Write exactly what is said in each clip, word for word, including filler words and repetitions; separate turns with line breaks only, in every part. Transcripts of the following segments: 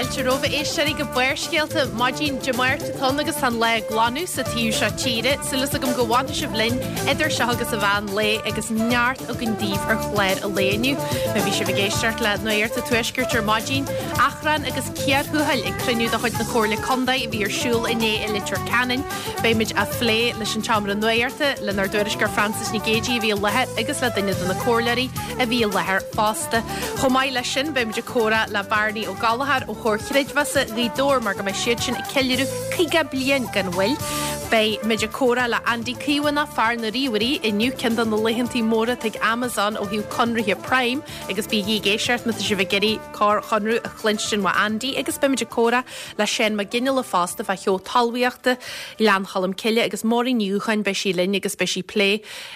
Fáilte romhaibh a éisteoirí go Barrscéalta maidin Dé Máirt atá ann agus tá an lá ag glanadh sa taobh seo tíre, súil agam go bhfanfaidh sibh linn idir seo agus an mheán lae agus neart againn daoibh ar chlár an lae inniu. Má bhí sibh ag éisteacht le Nuacht an Tuaiscirt ar maidin, achrann agus cíor thuathail ag cruinniú de chuid na Comhairle Contae a bhí ar siúl inné i Leitir Ceanainn. Beimid á phlé leis an tseomra nuachta lenár dtuairisceoir Frances Nic Géadaigh a bhí i láthair agus le duine de na comhairleoirí a bhí i láthair fosta. Chomh maith leis sin beimid ag comhrá le Barney Ó Gallchóir ó Chomhar Creidmheasa Ghaoth Dobhair mar go mbeidh siad sin ag ceiliúradh caoga bliain gan mhoill. Beidh muid ag comhrá le Andy Caomhánach fear na ríomhairí inniu ceann de na laethanta móra ag Amazon ó thaobh conarthaí Prime agus bígí ag éisteacht má tá sibh ag iarraidh corr-chonradh a chluinstin ó Andy agus beimid ag comhrá le Seán Mac Gineala fosta fá sheó talmhaíochta Ghleann Cholm Cille agus Máirín Ní Dhúcháin beidh sí linn agus beidh sí ag plé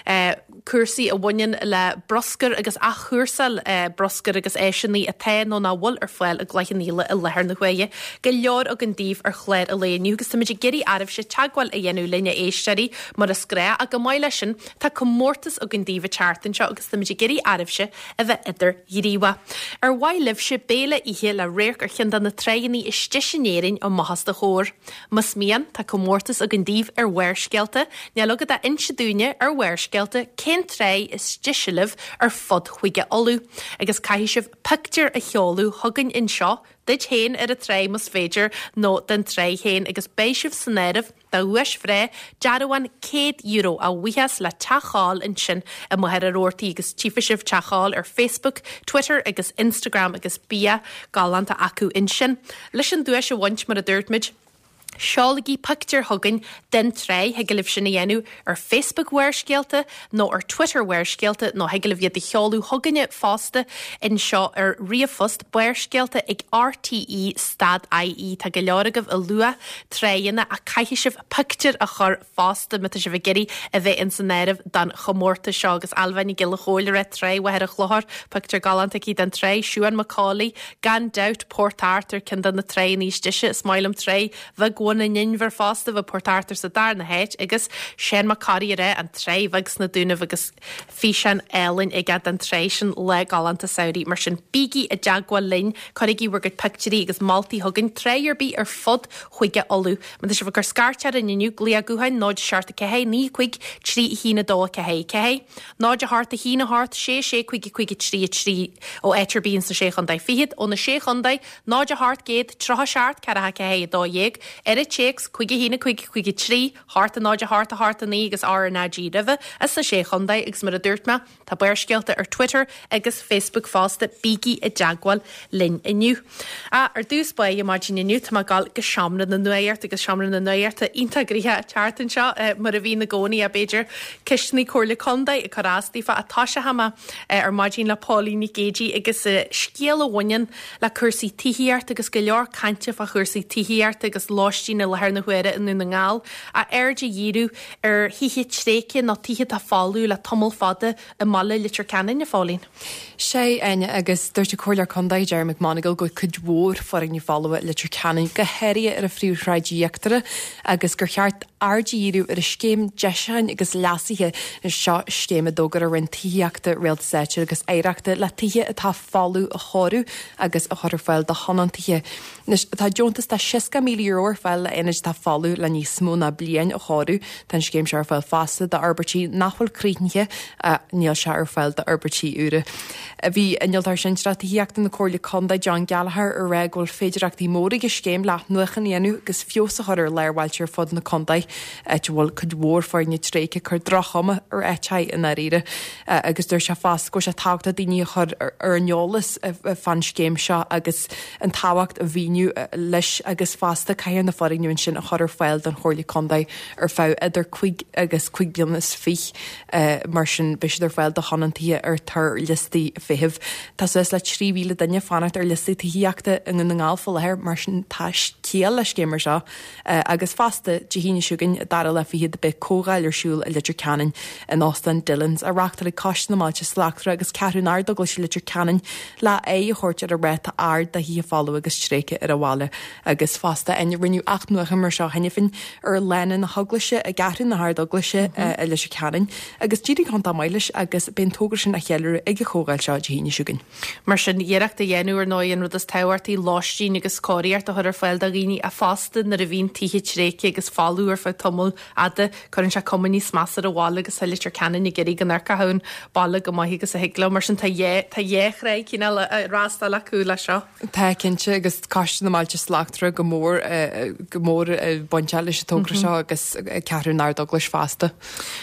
eh, cúrsaí a bhaineann le bruscar agus athchúrsáil eh, bruscar agus áiseanna atá nó nach bhfuil ar fáil i gCloich Cheann Fhaola i láthair na huaire. Go leor againn daoibh ar chlár an lae inniu agus táimid ag iarraidh oraibhse teagmháil a dhéanamh linn a éisteoirí mar is gnách ach chomh maith leis sin tá comórtas againn daoibh an tseachtain seo agus táimid ag iarraidh oraibhse a bheith idirghníomhach. Ar mhaith libhse béile a ithe le radharc ar cheann de na tránna is deise in Éirinn amach os do chomhair. Más mian tá comórtas againn daoibh ar Bharrscéalta, níl agaibh ach inse dúinne ar Bharrscéalta cén trá is deise libh ar fud Chúige Uladh, agus caithfidh sibh pictiúr a sheoladh chugainn anseo, duit féin ar an trá más féidir nó den trá féin agus beidh sibh san áireamh do dhuais bhreá dearbhán céad euro a bhuíochas le Teach Chóil ansin i Machaire Rabhartaigh agus tchífidh sibh Teach Chóil ar Facebook, Twitter agus Instagram agus bia galánta acu ansin. Leis an duais a bhaint mar a dúirt muid, Seolaigí pictiúr chugainn den trá thig libh sin a dhéanamh ar Facebook Bharrscéalta nó ar Twitter Bharrscéalta nó thig libh iad a sheoladh chugainne fosta anseo ar ríomhphost barrscéalta ag RTE stad IE Tá go leor agaibh ag lua tránna ach caithfidh sibh pictiúr a chur fosta má tá sibh ag iarraidh a bheith in san áireamh don chomórtas seo agus Ailbhe Nic Giolla Chóill le Trá Mhachaire Chlochair, pictiúr galánta aici den trá Siún Macaulay, gan dabht Port Arthur ceann de na tránna is deise is maith liom Trá Bheag Bhun an Inbhir fosta bhí Port Arthur sa darna háit agus Seán Mac Corraidh ar an Trá Bheag sna Dúnaibh agus físeán álainn aige den trá sin lá galánta samhraidh mar sin bígí i dteagmháil linn cuirigí bhur gcuid pictiúirí agus moltaí chugainn trá ar bith ar fud Chúige Uladh. Má tá sibh ag cur scairt orainn inniu glaoch gutháin náid seacht a ceathair naoi cúig trí haon a dó a ceathair ceathair. Náid a hocht a haon a hocht sé sé cúig cúig trí a trí ó áit ar bith sna sé chontae fichead ó na sé chontae náid a hocht céad tríocha seacht ceathair ceathair a dó dhéag ar an téacs cúig a haon cúig cúig trí hocht a náid a hocht a hocht a naoi agus RnaG roimhe as na sé chontae agus mar a dúirt mé tá Barrscéalta ar Twitter agus Facebook fosta bígí i dteagmháil linn inniu. A ar dtús báire maidin inniu tá ag gabháil go seomra na nuachta agus seomra na nuachta iontach gnoitheach tseachtain seo eh, mar a bhíonn i gcónaí a b'fhéidir ceisteanna Comhairle Contae ag cur as daofa atá sé hama ar maidin le Póilín Nic Géadaigh agus eh, scéal a bhaineann le cúrsaí tithíochta agus go leor cainte fá chúrsaí tithíochta agus lóistín i láthair na huaire i nDún na nGall a aird a dhíriú ar thithe tréigthe nó tithe atá folamh le tamall fada i mbaile Leitir Ceanainn a Phóilín.
Sé Áine agus dúirt an Comhairleoir Contae Jerry McMonagall go cuid mhór foirgnimh folamh Leitir Ceanainn go háirithe ar an phríomhshráid íochtarach agus gur cheart aird a dhíriú ar a scéim deisiúcháin agus leasaithe seo scéim a d'fhógair an Roinn Tithíochta Rialtais Áitiúil agus Oidhreachta le tithe atá folamh a chóiriú agus a chur ar fáil do thionóntaithe. Tá deontas de seasca míle euro ar fáil le aonaid atá folamh le níos mó ná bliain a chóiriú Tá an scéim seo ar fáil fosta d'fhorbairtí nach bhfuil críochnaithe níl sé ar fáil d'fhorbairtí úra. Bhí innealtóir sinsearach tithíochta na Comhairle Contae John Gallagher ag rá go bhfuil féidearthachtaí móra ag an scéim le athnuachan a dhéanamh agus feabhas a chur ar lár bailte ar fud na contae áit a bhfuil cuid mhór foirgnimh tréigthe cur droch-chuma ar áiteacha i ndáiríre agus dúirt sé fosta go bhfuil sé tábhachtach daoine a chur ar an eolas fán scéim seo agus an tábhacht a mhíniú leis agus fosta caithfear na foirgnimh ansin a chur ar fáil don Chomhairle Contae ar feadh idir cúig agus cúig bliana is fiche mar sin beidh siad ar fáil do thionóntaithe ar tar liostaí feithimh. Tá suas le trí mhíle duine fanacht ar liostaí tithíochta i nDún na nGall faoi láthair mar sin tá ciall le scéim mar seo agus fosta Dé hAoine seo chugainn dara lá fichead beidh comhdháil ar siúl i Leitir Ceanainn in Óstán Dillon's á reáchtáil ag Coiste na mBailte Slachtmhara agus Ceathrú an Ardeaglais Leitir Ceanainn le aghaidh a thabhairt ar an ráta ard de thithe folamh agus tréigthe ar an bhaile agus fosta rinneadh athnuachan mar seo cheana féin ar Lána na hEaglaise i gCeathrú na hArd-Eaglaise i Leitir Ceanainn agus d'éirigh go hiontach maith leis agus beidh an togra sin á cheiliúradh ag an chomhdháil seo Dé hAoine seo chugainn.
Mar sin iarracht a dhéanamh ar ndóigh an rud is tábhachtaí lóistín agus cóiríocht a chur ar fáil do dhaoine a fosta nuair a bhíonn tithe tréigthe agus folamh ar feadh tamall fhada cuireann sé cuma níos measa ar an bhaile agus tá Leitir Ceanainn ag iarraidh go n-amharcfadh an baile go maith agus a thig leo mar sin tá tá dhá thrá cineál ag freastal acu le seo.
Tá cinnte agus Coiste na mBailte Slachtmhara go mór go mór bainteach leis an togra seo agus Ceathrú na hArd-Eaglaise fosta.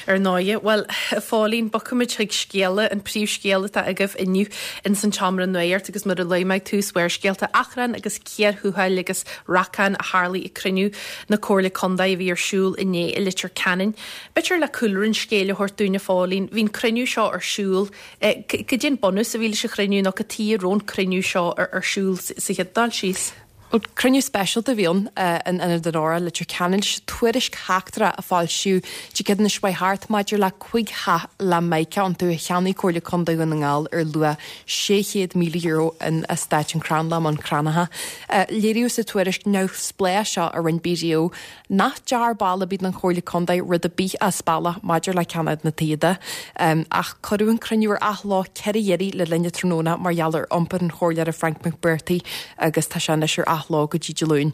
Ar ndóigh, well a Phóilín bogfaimid chuig scéala an príomhscéal atá agaibh inniu in san tseomra nuachta agus mar a luaigh mé tús Bharrscéalta achrann agus cíor thuathail agus racán a tharlaigh ag cruinniú na Comhairle Contae a bhí ar siúl inné i Leitir Ceanainn. B'fhéidir le cúlra an scéil a thabhairt dúinn a Phóilín, bhí an cruinniú seo ar siúl cad é an bunús a bhí leis an chruinniú nó cad chuige a raibh an cruinniú seo ar siúl sa chéad dul síos.
Cruinniú speisialta a bhí ann in Ionad an Óra Leitir Ceanainn tuairisc sheachtrach a foilsíodh Dé Céadaoin seo thart maidir le cúig theach le mica iontu a cheannaigh Comhairle Contae Dhún na nGall ar luach sé chéad míle euro in eastát an Chrannlann Bun Cranncha. Léiríodh sa tuairisc neamhspleách seo a rinne BDO nach ndearna ball ar bith den Chomhairle Contae rud ar bith as bealach maidir le ceannach na dtithe ach cuireadh an cruinniú ar athló ceithre huaire le linn an tráthnóna mar gheall ar iompar an chomhairleora Frank McBrearty agus tá sé anois ar athló go dtí Dé Luain.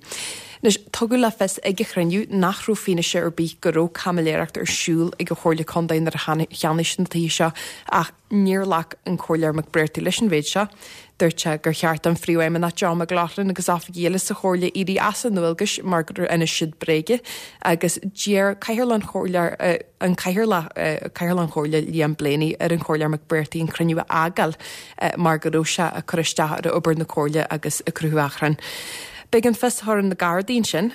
Anois tugadh le fios ag an chruinniú nach raibh fianaise ar bith go raibh caimiléireacht ar siúl ag an Chomhairle Contae nuair a cheannaigh siad na tithe seo ach níor ghlac an comhairleoir McBrearty leis an mhéid seo. Dúirt sé gur cheart an phríomhfheidhmeannach John McLaughlin agus oifigigh eile sa chomhairle éirí as a ndualgais mar gur inis siad bréaga agus d'iarr cathaoirleach an chomhairle an cathaoirleach cathaoirleach an chomhairle Liam Blaney ar an chomhairleoir McBrearty an cruinniú a fhágáil mar go raibh sé ag cur isteach ar obair na comhairle agus ag cruthú achrainn. B'éigean fios a chur ar na Gardaí ansin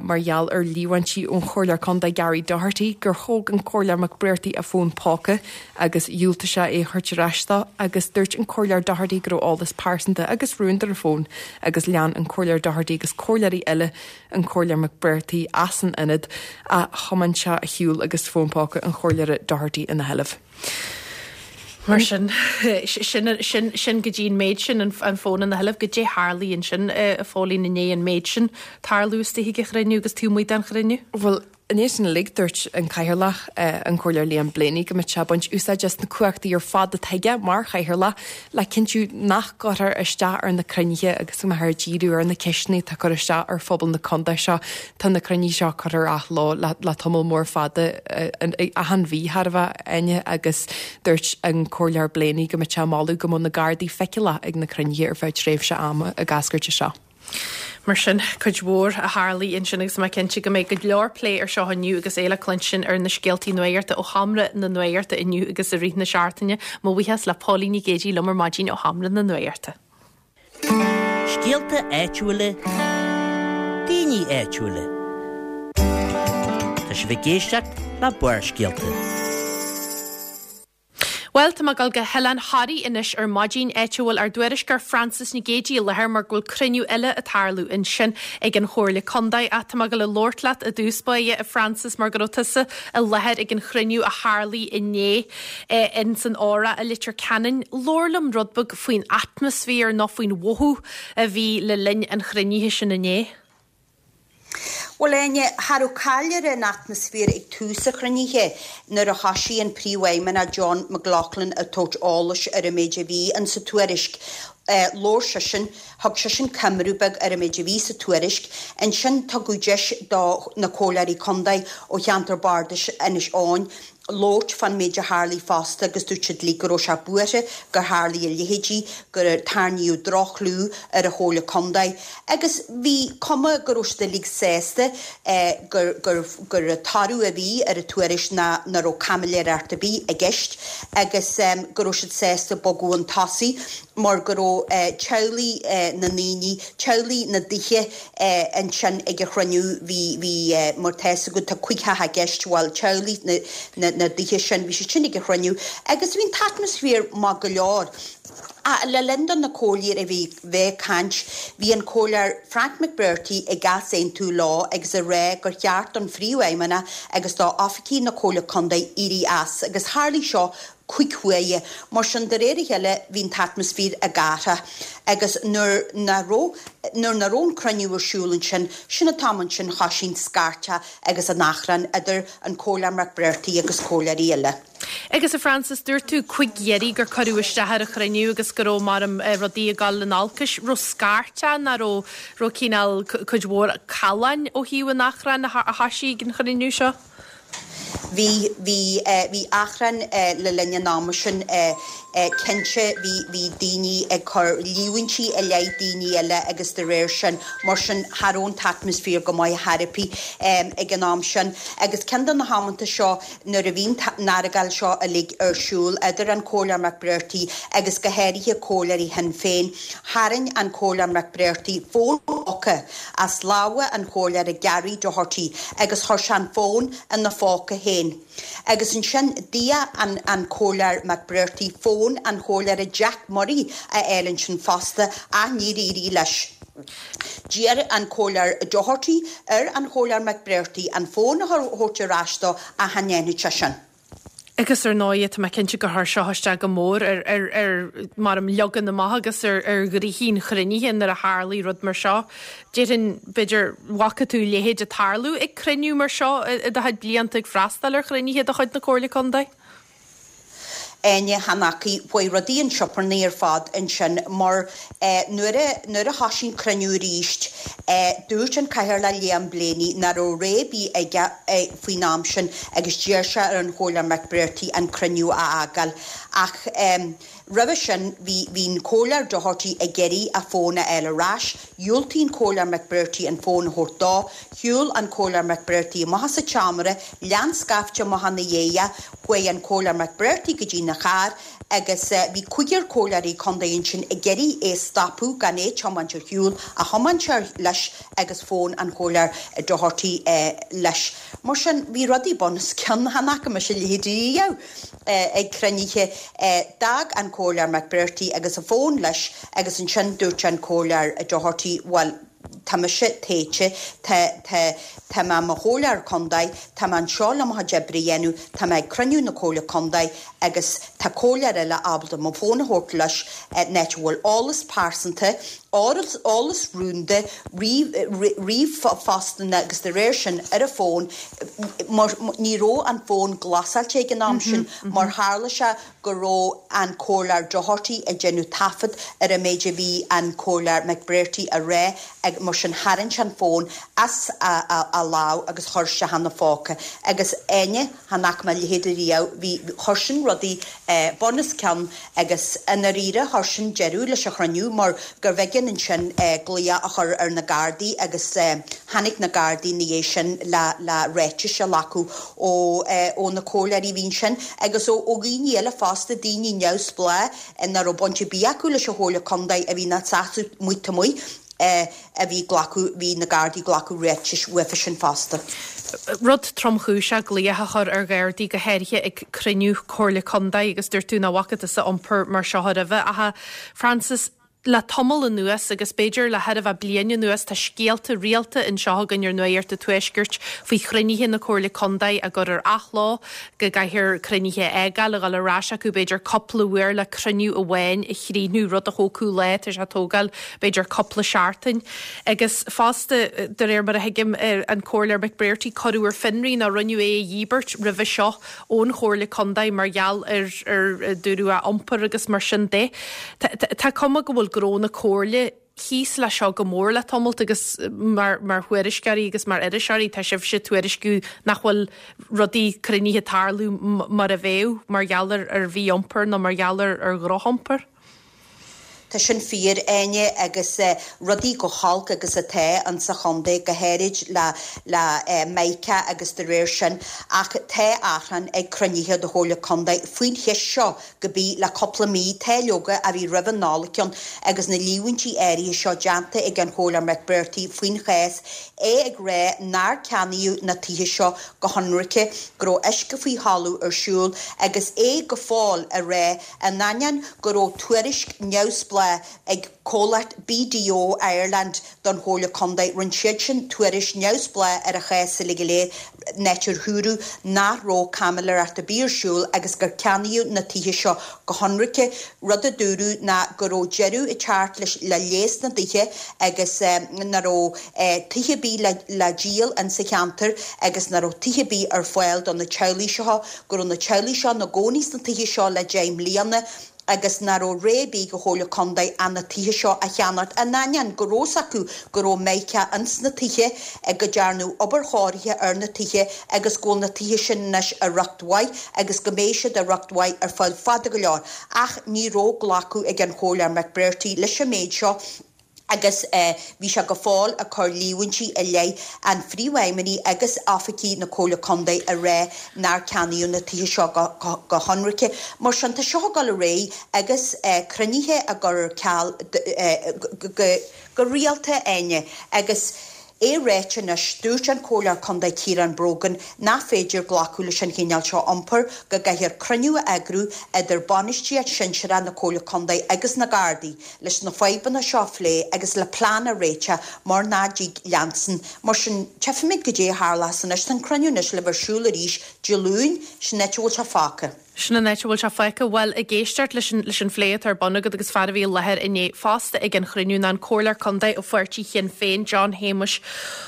mar gheall ar líomhaintí ón chomhairleoir contae Gary Doherty gur thóg an comhairleoir McBrearty a fón póca agus dhiúltaigh sé é a thabhairt ar ais dó agus dúirt an comhairleoir Doherty go raibh eolas pearsanta agus rúnda ar an bhfón agus lean an comhairleoir Doherty agus comhairleoirí eile an comhairleoir McBrearty as an ionad a thiomáin sé ar shiúl agus fón póca an chomhairleora Doherty ina sheilbh.
Mar sin sin sin sin go dtí an méid sin an fón ina sheilbh cad é a tharla ansin a Phóilín inné an méid sin tarlú istigh ag an chruinniú agus taobh amuigh den chruinniú?
Well, Inné sin uilig dúirt an cathaoirleach an comhairleoir Liam Blaney go mbeadh sé ag baint úsáid as na cumhachtaí ar fad atá aige mar chathaoirleach le cinntiú nach gcuirfear isteach ar na cruinnithe agus go mbeifear ag díriú ar na ceisteanna atá cur isteach ar phobal na contae seo. Tá na cruinnithe seo curtha ar athló le, le tamall mór fada achan mhí thar a bheith aine agus dúirt an comhairleoir Blaney go mbeadh sé ag moladh go mbeadh na Gardaí feiceálach ag na cruinnithe ar feadh tréimhse ama ag eascairt seo.
Mar sin cuid mhór a tharlaigh ansin agus mé cinnte go mbeidh go leor plé ar seo inniu agus é le cluinstin ar na scéaltaí nuachta ó sheomra na nuachta inniu agus i rith na seachtaine, mo bhuíochas le Póilín Nic Géadaigh liom ar maidin ó sheomra na nuachta.
Scéalta áitiúla, daoine áitiúla. Tá sibh ag éisteacht le Barrscéalta.
Well tá mé ag dul go hOileán Thoraí anois ar maidin áit a bhfuil ár dtuairisceoir Francis Nic Géadaigh i láthair mar go bhfuil cruinniú eile ag tarlú ansin ag an Chomhairle Contae ach tá mé ag dul ag labhairt leat i dtús báire a Francis mar go raibh tusa i láthair ag an chruinniú a tharlaigh inné in san Óra i Leitir Ceanainn. Labhair liom rud beag faoin atmaisféar nó faoin mhothú a bhí le linn an chruinnithe sin inné.
Well Áine, cha raibh caill ar an atmaisféar ag tús an chruinnithe nuair a thosaigh an príomhfheidhmeannach John McLaughlin ag tabhairt eolais ar an méid a bhí in sa tuairisc. Uh, Labhair seisean, thug seisean coimriú beag ar an méid a bhí sa tuairisc, ansin tugadh deis do na comhairleoirí contae ó cheantar bardais Inis Eoghain labhairt fán méid a tharlaigh fosta agus dúirt siad uilig go raibh sé buartha gur tharlaigh a leithéidí gur tarraingíodh droch-chlú ar an Chomhairle Contae agus bhí cuma go raibh siad uilig sásta eh, gur gur gur toradh a bhí ar an tuairisc ná nach raibh caimiléireacht ar bith i gceist agus um, go raibh siad sásta bogadh chun tosaigh mar go raibh eh, teaghlaigh eh, na ndaoine teaghlaigh na dtithe eh, ansin ag an chruinniú bhí bhí eh, mar tá go tá cúig theach i gceist bhfuil teaghlaigh na, na, na dtithe sin bhí siad sin ag an chruinniú agus bhí an t-atmaisféar maith go leor. Le linn do na comhairleoirí a bhí bheith ag caint, bhí an Comhairleoir Frank McBrearty ag easaontú leo agus ag rá gur cheart don Phríomhfheidhmeannach agus do oifigigh na Comhairle Contae éirí as agus tharlaigh seo cúig huaire. Mar sin, de réir a chéile bhí an t-atmaisféar ag athrú agus nuair nach raibh nuair nach raibh an cruinniú ar siúl ansin, sin an t-am ansin thosaigh an scairteadh agus an achrann idir an Comhairleoir McBrearty agus comhairleoirí eile.
Agus a Frances, dúirt tú chuig dheireadh gur cuireadh isteach ar an chruinniú agus go raibh mar rudaí ag dul in olcas, raibh scairteadh nó raibh raibh cineál cuid mhór calláin ó thaobh an achrainn a thoisigh an chruinniú seo?
Bhí, bhí, bhí achrann le linn an ama sin cinnte, bhí, bhí daoine ag cur líomhaintí i leith daoine eile agus de réir sin, mar sin, cha raibh an t-atmaisféar go maith ar bith ag an am sin. Agus ceann de na hamanta seo nuair a bhí an argáil seo uilig ar siúl idir an Comhairleoir McBrearty agus go háirithe comhairleoirí Shinn Féin, tharraing an Comhairleoir McBrearty fón póca as lámha an Chomhairleora Gary Doherty agus chuir sé an fón ina phóca féin. Agus ansin d'iarr an an Comhairleoir McBrearty fón an Chomhairleora Jack Murray a fháil ansin fosta ach níor éirigh leis. D'iarr an Comhairleoir Doherty ar an Chomhairleoir McBrearty an fón a thabhairt ar ais dó ach chan dhearna sé sin.
Agus ar ndóigh tá mé cinnte gur chuir seo isteach go mór ar ar ar mar an leagan amach agus ar ar ghnoithí an chruinnithe nuair a tharlaigh rud mar seo. Déarfainn b'fhéidir bhfaca tú a leithéid ag tarlú ag cruinniú mar seo i do chuid blianta ag freastal ar chruinnithe de chuid na Comhairle Contae?
Áine, chan fhaca, chuaigh rudaí chun sioparnaí ar fad ansin mar nuair a nuair a thosaigh an cruinniú arís dúirt an Cathaoirleach Liam Blaney nach raibh rogha ar bith aige faoin am sin agus d'iarr sé ar an Chomhairleoir McBrearty an cruinniú a fhágáil ach roimhe sin bhí bhí an Comhairleoir Doherty ag iarraidh a fón a fháil ar ais, dhiúltaigh an Comhairleoir McBrearty an fón a thabhairt dó, shiúil an Comhairleoir McBrearty amach as an tseomra, lean scaifte amach ina dhiaidh, chuaigh an Comhairleoir McBrearty go dtí na charr agus bhí cúigear comhairleoirí contae ansin ag iarraidh é a stopadh gan é tiomáint ar shiúl ach thiomáin sé leis agus fón an Chomhairleoir Doherty leis. Mar sin bhí rudaí bun os cionn, chan fhaca mise a leithéid riamh ag cruinnithe. D'fhág an Comhairleoir McBrearty agus a fón leis agus ansin dúirt an Comhairleoir Doherty bhuel, tá mise téite, tá, tá, tá mé i mo chomhairleoir contae, tá mé anseo le mo chuid oibre a dhéanamh, tá mé ag cruinniú na Comhairle Contae agus tá comhairleoir eile ábalta mo fón a thabhairt leis in áit a bhfuil eolas pearsanta, eolas, eolas rúnda, ríomhphostanna agus de réir sin ar a fón, mar ní raibh an fón glasáilte ag an am sin mar tharla sé go raibh an Comhairleoir Doherty ag déanamh taifead ar an méid a bhí an Comhairleoir McBrearty a rá ag mar sin tharraing sé an fón as a lámh agus chuir sé ina phóca agus Áine, chan fhaca mé a leithéid riamh, bhí, chuir sin rudaí bun os cionn agus i ndáiríre chuir sin deireadh leis an chruinniú mar gurbh éigean ansin glaoch a chur ar na Gardaí agus tháinig na Gardaí ina dhiaidh sin le le ráitis a ghlacadh ó ó na comhairleoirí a bhí ansin agus ó ó dhaoine eile fosta, daoine neamhspleách nach raibh baint ar bith acu leis an Chomhairle Contae a bhí ina seasamh amuigh amuigh a bhí ag glacadh, bhí na Gardaí ag glacadh ráitis uafa sin fosta.
Rud tromchúiseach glaoch a chur ar Ghardaí go háirithe ag cruinniú Comhairle Contae agus dúirt tú nach bhfaca tusa iompar mar seo roimhe. Ach a Frances, le tamall anuas agus b'fhéidir le thar a bheith bliain anuas tá scéalta rialta anseo againn ar Nuacht an Tuaiscirt faoi chruinnithe na Comhairle Contae á gcur ar athló, go gcaithfear cruinnithe a fhágáil, a dhul ar ais acu b'fhéidir cúpla uair le cruinniú amháin a chríochnú, rud a thógfadh lá, tá sé ag tógáil b'fhéidir cúpla seachtain. Agus fosta, de réir mar a thuigim, an Comhairleoir McBrearty, cuireadh ar fionraí nó rinneadh é a dhíbirt roimhe seo ón Chomhairle Contae mar gheall ar ar dúradh a iompar agus mar sin de. Tá cuma go bhfuil gnó na Comhairle thíos le seo go mór le tamalt agus mar mar thuairisceoirí agus mar iriseoirí tá sibhse ag tuairisciú nach bhfuil rudaí cruinnithe ag tarlú mar a bheadh mar gheall ar ar mhí-iompar nó mar gheall ar ar dhrochiompar.
Tá Tá sin fíor, Áine, agus rudaí chomh holc agus atá insa chontae, go háirid le le Mica agus de réir sin, ach tá achrann ag cruinnithe de Chomhairle Contae faoin cheist seo go bí le cúpla mí. Tá leoga a bhí roimh an Nollaig ann agus na líomhaintí áirithe seo déanta ag an Chomhairleoir McBrearty faoin chás, é ag rá nár ceannaíodh na tithe seo go hionraice, go raibh uisce faoi thalamh ar siúl agus é go fóill a rá in ainneoin go raibh tuairisc neamhspleách ag comhlacht B D O Ireland don Chomhairle Contae. Rinne siad sin tuairisc neamhspleách ar an chás uilig go léir, in áit ar dúradh nach raibh caimiléireacht ar bith ar siúl agus gur ceannaíodh na tithe seo go hionraice. Rud a dúradh ná go raibh deireadh ag teacht leis le léas na dtithe agus nach raibh tithe ar bith le díol insa cheantar agus nach raibh tithe ar bith ar fáil do na teaghlaigh seo, go raibh na teaghlaigh seo ina gcónaí sna tithe seo le deich mbliana agus nach raibh rogha ar bith ag an Chomhairle Contae ach na tithe seo a cheannacht, in ainneoin go raibh fhios acu go raibh mica ins na tithe, go dtearnadh obair chóirithe ar na tithe agus go bhfuil na tithe sin anois i riocht mhaith agus go mbeidh siad i riocht mhaith ar feadh fada go leor. Ach ní raibh glacadh ag an Chomhairleoir McBrearty leis an méid seo agus bhí sé go fóill ag cur líomhaintí i leith an phríomhfheidhmeannaigh agus oifigigh na Comhairle Contae a rá nár ceannaíodh na tithe seo go hionraice. Mar sin, tá seo ag dul ar aghaidh agus cruinnithe á gcur ar ceal go rialta, Áine, agus é ráite anois, dúirt an Comhairleoir Contae Ciarán Brogan nach féidir glacadh leis an chineál seo iompair, go gcaithfear cruinniú a eagrú idir bainistíocht sinsearach na Comhairle Contae agus na Gardaí leis na fadhbanna seo a phlé agus le plean a réiteach mar nach dtig leanstan. Mar sin, tchífimid goidé a tharlós anois. Tá an cruinniú anois le bheith ar siúl arís Dé Luain, sin an áit a bhfuil sé fágtha.
Sin an áit a bhfuil sé fágtha. Bhuel, ag éisteacht leis an leis an phlé atá ar bun agat agus fear a bhí i láthair inné fosta ag an chruinniú ná an Comhairleoir Contae ó pháirtí Shinn Féin, John Shéamuis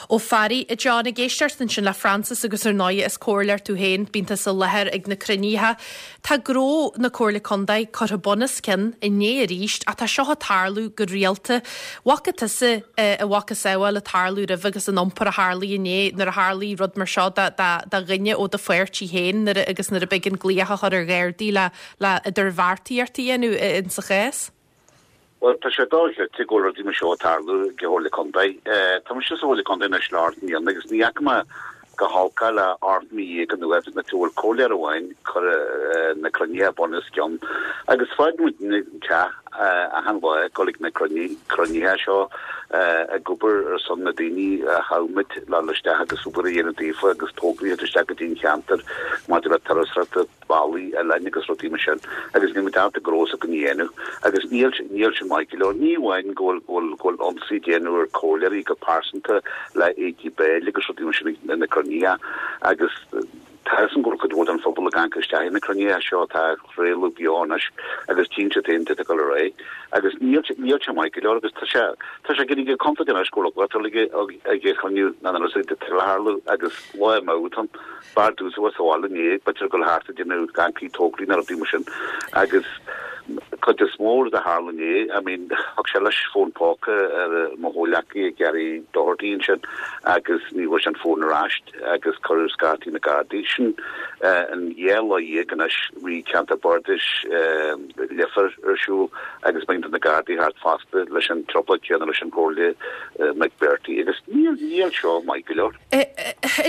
Ó Fearraigh. A John, ag éisteacht ansin le Francis agus ar ndóigh is comhairleoir tú féin, bíonn tusa i láthair ag na cruinnithe. Tá gnó na Comhairle Contae curtha bun os cionn inné arís ach tá seo ag tarlú go rialta. Bhfaca tusa a mhacasamhail ag tarlú roimhe agus an iompar a tharlaigh inné nuair a tharlaigh rud mar seo do dhuine ó do pháirtí féin nuair agus nuair a b'éigean glaoch a chur ar Ghardaí le le idirbheartaíocht a dhéanamh in sa chás?
Well, tá sé dochreidte go bhfuil rudaí mar seo ag tarlú ag an Chomhairle Contae. Tá mise sa Chomhairle Contae anois le ocht mbliana agus ní fhaca mé chomh holc le ocht mí dhéag anuas na bhfuil comhairleoir amháin ag cur na cruinnithe bun os cionn. Agus fágann muid an teach achan lá ag dul ag na cruinnithe seo ag obair ar son na daoine a thogh muid le isteach agus obair a dhéanamh daofa agus tograí isteach go dtí an cheantar maidir le turasóireacht bealaí eile agus rudaí mar sin agus ní muid gnó go dhéanamh agus níl níl sin maith go leor. Ní amháin go bhfuil go bhfuil ionsaí déanamh ar chomhairleoirí go pearsanta le éadaí béil agus rudaí mar sin na cruinnithe agus tá an gur go bhfuil an phobal ag amharc isteach na cruinnithe seo tá réú bionas agus tínse féin go ré agus níl níl sé maith go leor agus tá sé tá sé ginn go confident go ag chunú na tarlú agus lá an bardú was hála ní b'fhéidir go thart déanamh gancí tograí na rudaí mar sin agus cuid is mór de tharla inné, I mean thug sé leis fón póca ar mo chomhghleacaí Gary Doherty sin agus ní bhfuair sé an fón ar ais agus cuireadh scairt na Gardaí sin an dhá lá dhéag anois bhí ceantar bardais Leifear ar siúl agus bíonn na Gardaí thart fosta leis an trioblóid céanna leis an Chomhairleoir McBrearty agus níl níl seo maith go leor.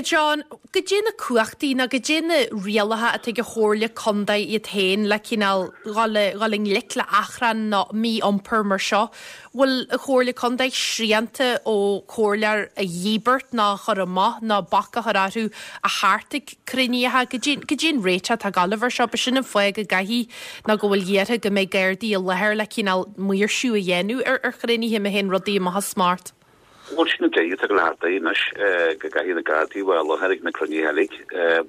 John, goidé na cumhachtaí nó goidé na rialacha atá ag an Chomhairle Contae iad féin le cineál dul i ngleic le achrann nó mí-iompar mar seo. Bhfuil an Chomhairle Contae srianta ó chomhairleoir a dhíbirt ná chur amach ná bac a chur orthu a theacht ag cruinnithe goidé an réiteach atá galbhar seo, b'shin an fáth go gcaithfidh nó go bhfuil iarrtha go mbeidh Gardaí i láthair le cineál maoirsiú a dhéanamh ar ar chruinnithe má théann rudaí amach as smacht.
Bhuel sin an dé go lehartaí anois go gcaithfidh na Gardaí bheith i láthair ag na cruinnithe uilig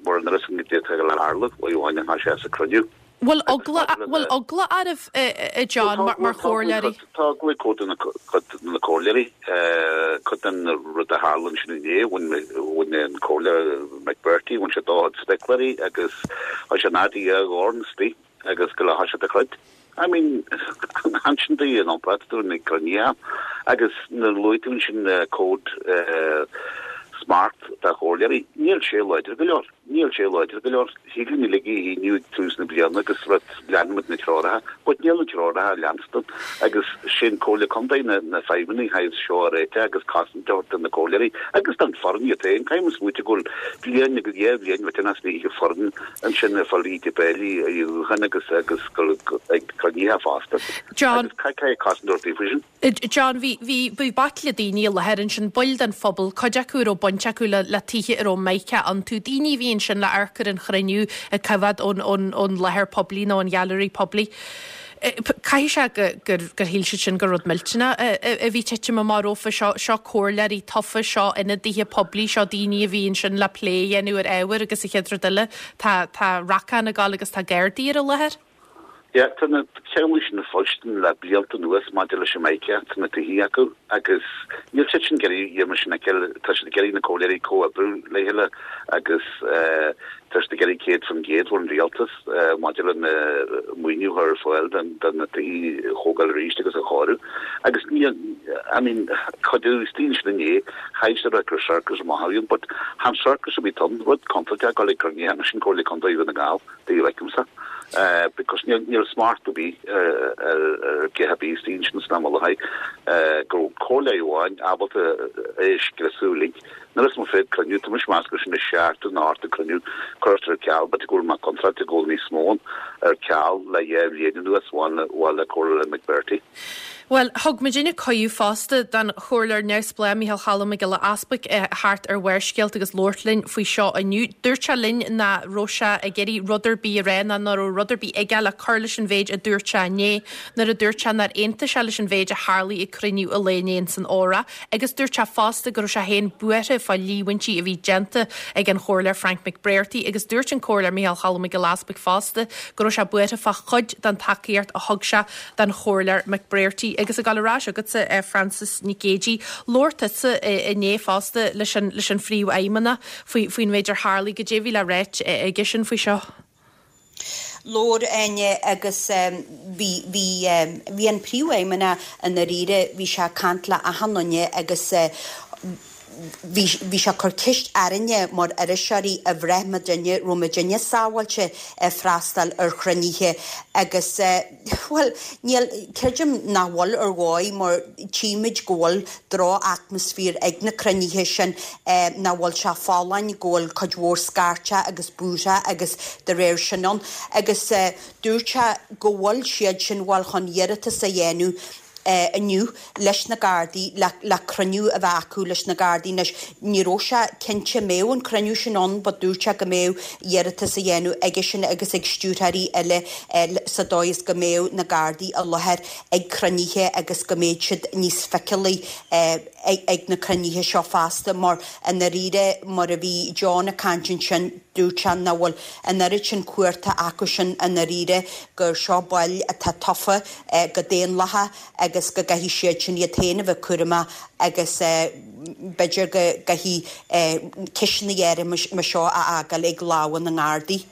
mar an rud san go le tharlú amháin a sé sa cruinniú.
Bhfuil eagla bhfuil eagla oraibh a John mar mar chomhairleoirí?
Tá eagla cuid de na comhairleoirí cuid den rud a tharla sin inné bhain an comhairleoir McBrearty bhain sé dá spéacláirí agus tá sé nádaí a dhorn sti agus go le ha sé de chluid. I mean ansin dí an omprat tú na cruinnithe agus na luaigh tú sin cód smart da chomhairleoirí níl sé láidir go leor. Níl sé láidir go leor. Thig linn uilig é a shíniú ag tús na bliana agus rud leanfaimid na treoracha, but níl na treoracha leanstan agus sin Comhairle Contae na na feidhmeannaigh thaobh seo a réiteach agus cosaint a thabhairt do na comhairleoirí agus don foireann iad féin. Caithfidh muid smaoitiú go bhfuil bliain agus dhá bhliain bheith as ní foireann ansin ag fáil íde béilí a dhéanamh agus agus ag cruinnithe fosta.
John
Agus caithfidh cosaint a thabhairt daofa sin.
John, bhí bhí bhí baicle daoine i láthair ansin, baill den phobal, cuid acu a raibh baint acu le le tithe a raibh Mica iontu, daoine a bhí ansin le amharc ar an chruinniú ag coimhéad ón ón ón láthair poiblí nó an ghailearaí poiblí. Caithfidh sé go gur gur shíl siad sin gur rud millteanach a bhí ag titim amach rompu seo seo comhairleoirí tofa seo ionadaithe poiblí seo daoine a bhí ansin le plé a dhéanamh ar ábhair agus an chéad rud eile tá tá racán ag gabháil agus tá Gardaí ar an láthair.
Yeah, tá na ceanglais sin le foilsithe le blianta anuas maidir leis an Mica, tá na tithe acu agus níl siad sin ag iarraidh iad sin a fheiceáil, tá siad ag iarraidh na comhairleoirí comhoibriú le chéile agus eh, tá siad ag iarraidh céad faoin gcéad ón rialtas eh, maidir le na maoiniú a chur ar fáil don don na tithe a thógáil arís agus a chóiriú. Agus ní, I mean, cuid daoine sin inné, chaith siad gur circus amach a bhí ann, but chan circus a bhí ann, rud contúirteach ag dul ag cruinnithe sin Comhairle Contae Dhún na nGall, dá bhfeicimse. Uh, because níl níl smacht ar bith ar ar githe bí stín sin sna le go comhairle amháin ábalta é scriosadh uilig. Nuair is mo féad cruinniú tá mise meas gur sin is seacht nó ocht cruinniú curtha ar ceal, but go bhfuil ma contract ag dul níos mó ar ceal le dhá bhliain anuas bhain bhain le comhairle McBrearty.
Well, thug muidinne cuireadh fosta don chomhairleoir neamhspleách Micheál Choilm Mac Giolla Easpaig theacht ar Bharrscéalta agus labhairt linn faoi seo inniu. Dúirt sé linn nach raibh sé ag iarraidh rud ar bith a rá ná nach raibh rud ar bith aige le cur leis an mhéid a dúirt sé inné nuair a dúirt sé nár aontaigh sé leis an mhéid a tharla ag cruinniú an lae inné san Óra, agus dúirt sé fosta go raibh sé féin buartha fá líomhaintí a bhí déanta ag an chomhairleoir Frank McBrearty agus dúirt an comhairleoir Micheál Choilm Mac Giolla Easpaig fosta go raibh sé buartha fá chuid den tacaíocht a thug sé don chomhairleoir McBrearty agus ag dul ar ais agatsa eh, Frances Nic Géadaigh labhair tusa inné fosta leis an leis an phríomhfheidhmeannach faoi faoin méid ar tharla goidé a bhí le rá aige sin faoi seo.
Labhair Áine agus bhí bhí bhí an príomhfheidhmeannach i ndáiríre bhí sé ag caint le achan duine agus bhí bhí sé cur ceist orainne mar iriseoirí a bhraith muidinne raibh muidinne sábháilte freastal ar chruinnithe agus well níl creidim nach bhfuil ar dhóigh mar tímid go bhfuil droch-atmaisféar ag na cruinnithe sin nach bhfuil sé folláin go bhfuil cuid mhór scairteadh agus buartha agus de réir sin ann agus dúirt sé go bhfuil siad sin bhfuil chun iarratas a dhéanamh inniu leis na Gardaí le le cruinniú a bheith acu leis na Gardaí anois ní raibh sé cinnte mbeadh an cruinniú sin ann but dúirt sé go mbeadh iarratas a dhéanamh aige sin agus ag stiúrthóirí eile sa dóigh is go mbeadh na Gardaí i láthair ag cruinnithe agus go mbeadh siad níos feiceálaí ag na cruinnithe seo fosta mar i ndáiríre mar a bhí John ag caint ansin dúirt sé nach bhfuil an oiread sin cumhachta acu sin i ndáiríre gur seo baill atá tofa go daonlathach agus go gcaithfidh siad sin iad féin a bheith cúramach agus b'fhéidir go gcaithfidh ceisteanna áirithe mar seo a fhágáil ag lámha na nGardaí.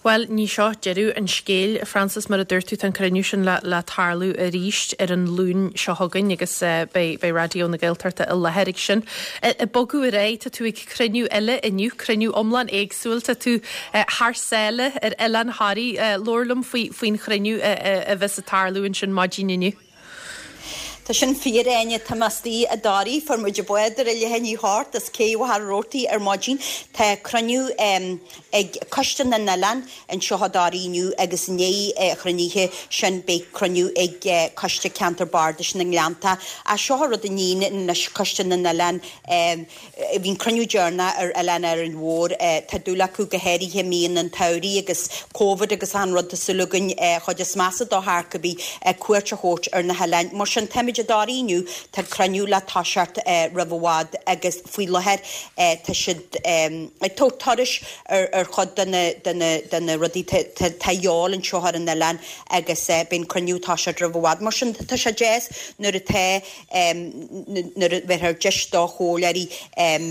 Well, ní seo deireadh an scéil Frances mar a dúirt tú an cruinniú sin le, le tarlú arís ar an Luan seo chugainn agus uh, beidh beidh Raidió na Gaeltachta i láthair ag sin. Ag bogadh ar aghaidh tá tú ag cruinniú eile inniu cruinniú iomlán éagsúil tá tú uh, thar sáile ar Oileán Thoraí uh, labhair liom faoi faoin chruinniú uh, uh, a bheas ag tarlú ansin maidin inniu.
Tá sin fíor Áine tá mé istigh i dToraigh fuair muid bád ar a leath i ndiaidh a hocht as Cé Mhachaire Rabhartaigh ar maidin Tá cruinniú um, ag Coiste na nOileán anseo i dToraigh inniu agus i ndiaidh an chruinnithe sin beidh cruinniú ag uh, Coiste Ceantar Bardais na nGleannta. A seo rud a níon leis Coiste na nOileán um, bhí'n cruinniú deireanach ar Oileán Árainn Mhór uh, tá dúil acu go háirithe mí an tsamhraidh agus COVID agus an rud súlagann uh, chuid is measa do tharcabí uh, cuairt a thabhairt ar na hoileáin. Mar sin táimid i dToraigh inniu tá cruinniú le toiseacht uh, roimh i bhfad agus faoi láthair uh, tá siad um, ag tabhairt turais ar ar chuid de na de na de na rudaí tá eol anseo ar an oileán agus uh, bíonn cruinniú toiseacht roimh i bhfad. Mar sin tá sé deas nuair atá um, nuair a bheith ar deis do chomhairleoirí um,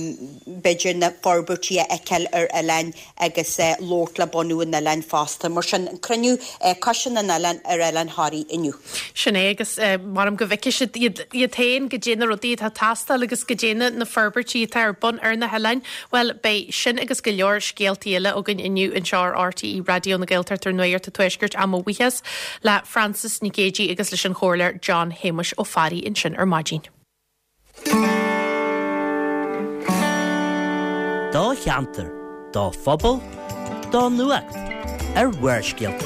b'fhéidir na forbairtí a fheiceáil ar oileáin agus uh, labhairt le bunú an oileáin fosta. Mar sin cruinniú uh, Coiste na nOileán ar Oileán Thoraí inniu.
Sin é agus uh, mar go bhfeicfidh siad iad iad féin goidé na rudaí atá ag teastáil agus goidé na na forbairtí atá ar bun ar na hoileáin. Bhuel, beidh sin agus go leor scéaltaí eile againn inniu anseo ar RTÉ Raidió na Gaeltachta ar Nuacht an Tuaiscirt ár mo bhuíochas le Frances Nic Géadaigh agus leis an Chomhairleoir John Shéamuis Ó Fearraigh ansin ar maidin.
Do cheantar, do phobal, do nuacht ar Bharrscéalta.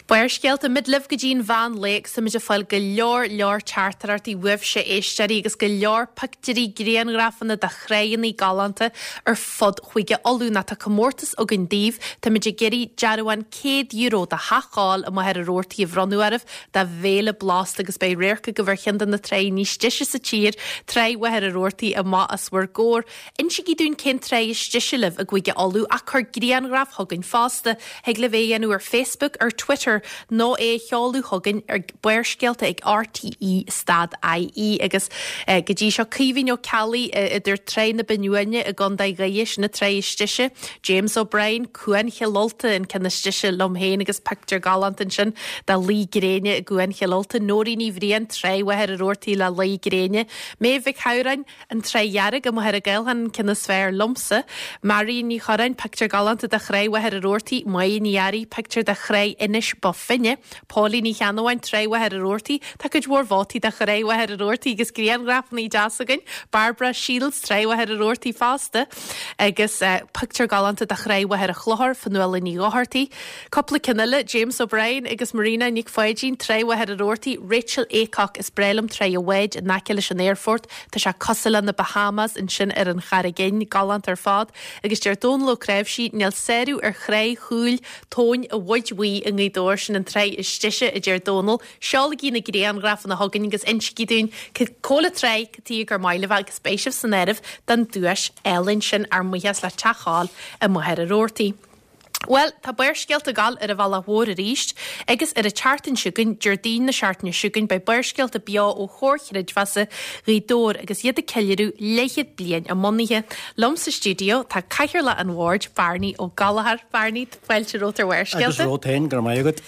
Barrscéalta muid libh go dtí'n mheán lae agus táimid ag fáil go leor leor teachtaireachtaí uaibhse éisteoirí agus go leor pictiúirí grianghrafanna de thráigheanna galánta ar fud Chúige Uladh ná tá comórtas againn daoibh táimid ag iarraidh dearbhán céad euro do Theach óil i Machaire Rabhartaigh a bhronnadh oraibh do bhéile blasta agus beidh radharc agaibh ar cheann de na tráigh níos deise sa tír, Tráigh Mhachaire Rabhartaigh amach os bhur gcomhair. Insígí dúinn cén tráigh is deise libh i gCúige Uladh ach cuir grianghraf chugainn fosta. Thig libh é a dhéanamh ar Facebook, ar Twitter nó é a sheoladh chugainn ar Barrscéalta ag RTE stad IE agus go dtí seo Caoimhín Ó Ceallaigh idir Tráigh na Binne Uaine i gContae Dhoire sin an tráigh is deise, James O'Brien, Cuan Chill Ulta an ceann is deise liom féin agus pictiúr galánta ansin de luí gréine i gCuan Chill Ulta, Nóirín Ní Bhriain, Tráigh Mhachaire Rabhartaigh le luí gréine, Méabh Mhic Shamhráin, An Tráigh Dhearg i Machaire Gaelthan an ceann is fearr liomsa, Marion Ní Chorráin, pictiúr galánta de Thráigh Mhachaire Rabhartaigh, Máire Ní Fhearraigh, pictiúr de Thráigh Inis Bó Finne, Póilín Ní Cheannabháin, Tráigh Mhachaire Rabhartaigh, Tá cuid mhór vótaí do Thráigh Mhachaire Rabhartaigh agus grianghrafanna deas againn, Barbara Shields, Tráigh Mhachaire Rabhartaigh fosta, agus pictiúr galánta de Thráigh Mhachaire Chlochair, Fionnuala Ní Dhochartaigh. Cúpla ceann eile, James O'Brien agus Marina Nic Pháidín, Tráigh Mhachaire Rabhartaigh, Rachel Aycock, Is breá liom Tráigh an Bháid in aice leis an aerfort, tá sé cosúil le na Bahamas ansin ar an Charraig Fhinn, galánta ar fad. Agus deir Dónal Ó Cnáimhsí, níl sárú ar Thráigh Chúil Tóin a' Bhoid Bhuí i nGaoth Dobhair, sin an tráigh is deise, a deir Dónal. Seolaigí na grianghrafanna chugainn agus insígí dúinn cá bhfuil an tráigh, cad tuige gur maith libh agus beidh sibh san áireamh don duais álainn sin ár mbuíochas le Teach Óil i Machaire Rabhartaigh. Bhuel, tá Barrscéalta ag gabháil ar an bhealach mhór arís agus ar an tseachtain seo chugainn, Déardaoin na seachtaine seo chugainn, beidh Barrscéalta beo ó Chomhar Chreidmheasa Ghaoth Dobhair agus iad ag ceiliúradh leathchéad bliain a mbunaithe. Liom sa stiúideo tá Cathaoirleach an Bhoird, Bearnaí Ó Gallchóir. Bearnaí, fáilte romhat ar Bharrscéalta.
Agus romhat féin, go raibh maith agat.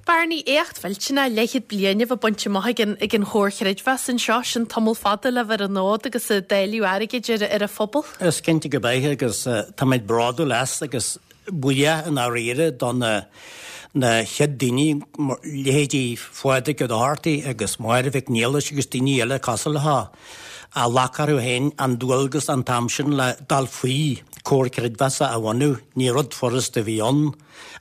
Bearnaí, éacht mhillteanach, leathchéad bliain a bheith bainte amach ag an ag an Chomhar Chreidmheasa anseo, sin tamall fada le bheith ar an fhód agus ag dáileadh airgid ar ar an phobal.
Is cinnte go beidh agus táimid bródúil as agus buíoch i ndáiríre do na na chéad daoine, leithéidí Phádraig Ó Dochartaigh agus Máire Mhic Niallais agus daoine eile cosúil leo, a ghlac orthu féin an dualgas an t-am sin le dul faoi Comhar Creidmheasa a bhunú. Ní rud furasta a bhí ann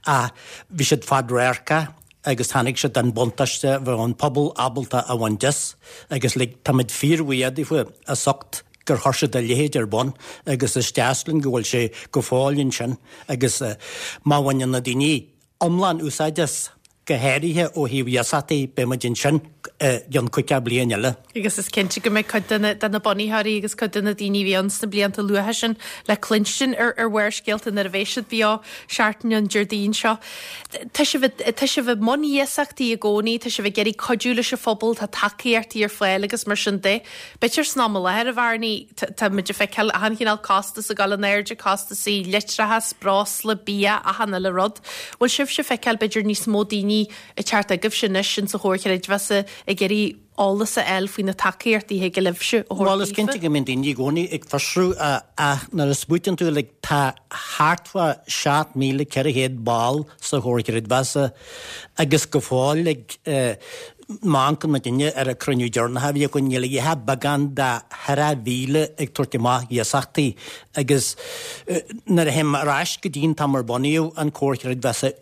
ach bhí siad fadradharcach agus tháinig siad den buntáiste bheadh an pobal ábalta a bhaint as agus like táimid fíorbhuíoch daofa as ucht gur chuir siad a leithéid ar bun agus is deas linn go bhfuil sé go fóill ansin agus má bhaineann na daoine iomlán úsáid as, go háirithe ó thaobh iasachtaí, beidh muid ansin i gcionn caoga bliain eile.
Agus is cinnte go mbeidh cuid de na de na bunaitheoirí agus cuid de na daoine a bhí ann sna blianta luatha sin le cluinstin ar ar Bharrscéalta nuair a bheidh siad beo seachtain an Déardaoin seo. Tá sibh tá sibh i mbun iasachtaí i gcónaí, tá sibh ag iarraidh cuidiú leis an phobal, tá tacaíochtaí ar fáil agus mar sin de. B'fhéidir san am i láthair, a Bhearnaí, tá muid ag feiceáil achan chineál costas ag dul in airde, costasaí leictreachas, breosla, bia, achan uile rud. Bhfuil sibhse ag feiceáil b'fhéidir níos mó daoine ag teacht chugaibhse anois insa Chomhar Chreidmheasa ag iarraidh eolas a fháil faoi na tacaíochtaí a thig libhse a thabhairt
Bhuel, is
daofa?
cinnte go mbíonn daoine i gcónaí ag fiosrú ach nuair a smaoitíonn tú like tá thart fá seacht míle ceithre chéad ball sa Chomhar Chreidmheasa agus go fóill like má amharcann muidinne ar an cruinniú deireanach a bhí againn níl a dhath beagán de cheithre mhíle ag tabhairt amach iasachtaí agus nuair a théim ar ais go dtí an t-am ar bunaíodh an Comhar Chreidmheasa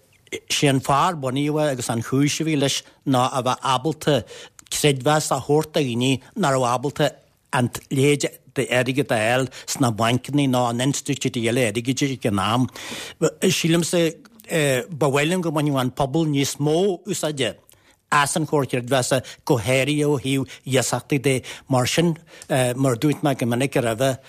Sé an fáth ar bunaíodh é agus an chúis a bhí leis ná a bheith ábalta creidmheas a thabhairt do dhaoine nach raibh ábalta an leithéid d'airgead a fháil sna bainceanna nó in institiúidí eile airgid ag an am. Sílimse ba mhaith liom go mbainfeadh an pobal níos mó úsáide as an Chomhar Creidmheasa, go háirithe ó thaobh iasachtaí de. Mar sin, mar a dúirt mé go minic roimhe,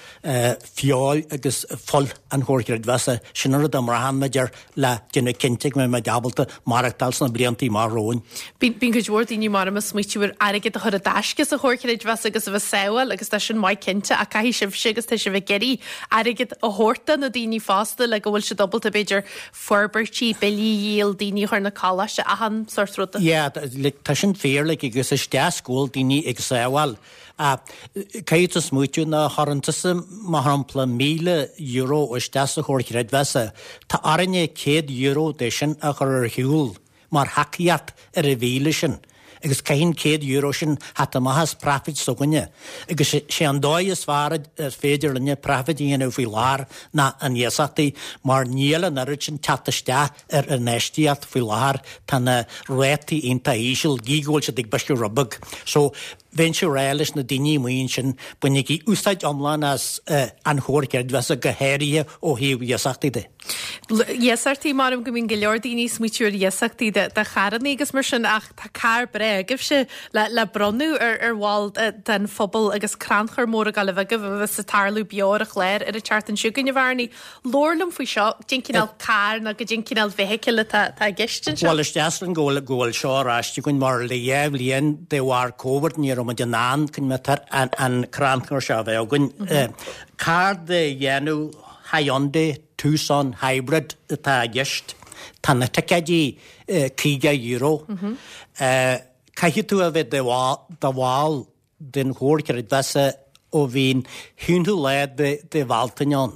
feoil agus fuil an Chomhair Chreidmheasa, sin an rud a mbraitheann muid air le déanamh cinnte go mbeidh muid ábalta maireachtáil sna blianta amach romhainn.
Bíonn cuid mhór daoine mar ag smaoitiú ar airgead a chur i dtaisce sa Chomhar Creidmheasa agus a bheith sábháil agus tá sin maith cinnte ach caithfidh sibhse agus tá sibh ag iarraidh airgead a thabhairt do na daoine fosta le go bhfuil siad ábalta b'fhéidir forbairtí, billí a dhíol, daoine a chur 'na coláiste, achan sórt ruda.
Yeah, like, tá sin fíor like, agus is deas go bhfuil daoine ag sábháil. Caithfidh tú smaoitiú má chuireann tusa mar shampla míle euro isteach sa chomhar creidmheasa. Tá orainne céad euro de sin a chur ar shiúl mar thacaíocht ar an mhíle sin. Agus caithfidh an céad euro sin theacht amach as profit s'againne. Agus sé an dóigh is fearr is féidir linne profit a dhéanamh faoi láthair ná an iasachtaí mar níl an oiread sin teacht isteach ar an infheistíocht faoi láthair tá na rátaí iontach íseal gí go bhfuil siad ag briseadh rud beag. So bheinnse ag rá leis na daoine amuigh ansin bainigí úsáid iomlán as an chomhar creidmheasa go háirithe ó thaobh iasachtaí de.
Iasachtaí mar go mbíonn go leor daoine ag smaoitiú ar iasachtaí de de charranna agus mar sin ach tá carr breá agaibhse le le bronnadh ar ar bhall den phobal agus crannchur mór ag gabháil a bheith agaibh a bheas ag tarlú beo ar an chlár ar an tseachtain seo chugainn a Bhearnaí. Labhair liom faoi seo, cén cineál carr nó cén cineál feithicil atá atá i gceist anseo.
Bhuel is deas linn go bhfuil go bhfuil seo ar ais againn mar le dhá bhliain de bharr Covid ní raibh muid in ann an an crannchur seo a bheith againn. Carr de dhéanamh Hyundai Tucson Hybrid atá i gceist. Tá na ticéidí caoga euro. Caithfidh tú a bheith de bhall den chomhar creidmheasa ó bhí an t-aonú lá de de Bhealtaine ann.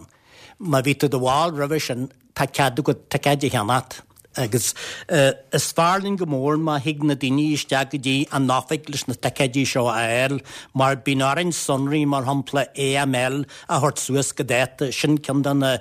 Má bhí tú i do bhall roimhe sin tá cead agat ticéid a cheannacht. Agus is fearr linn go mór má thig na daoine isteach go dtí an oifig leis na ticéidí seo a fháil, mar bíonn orainn sonraí mar shampla AML a thabhairt suas go dáta, sin ceann de na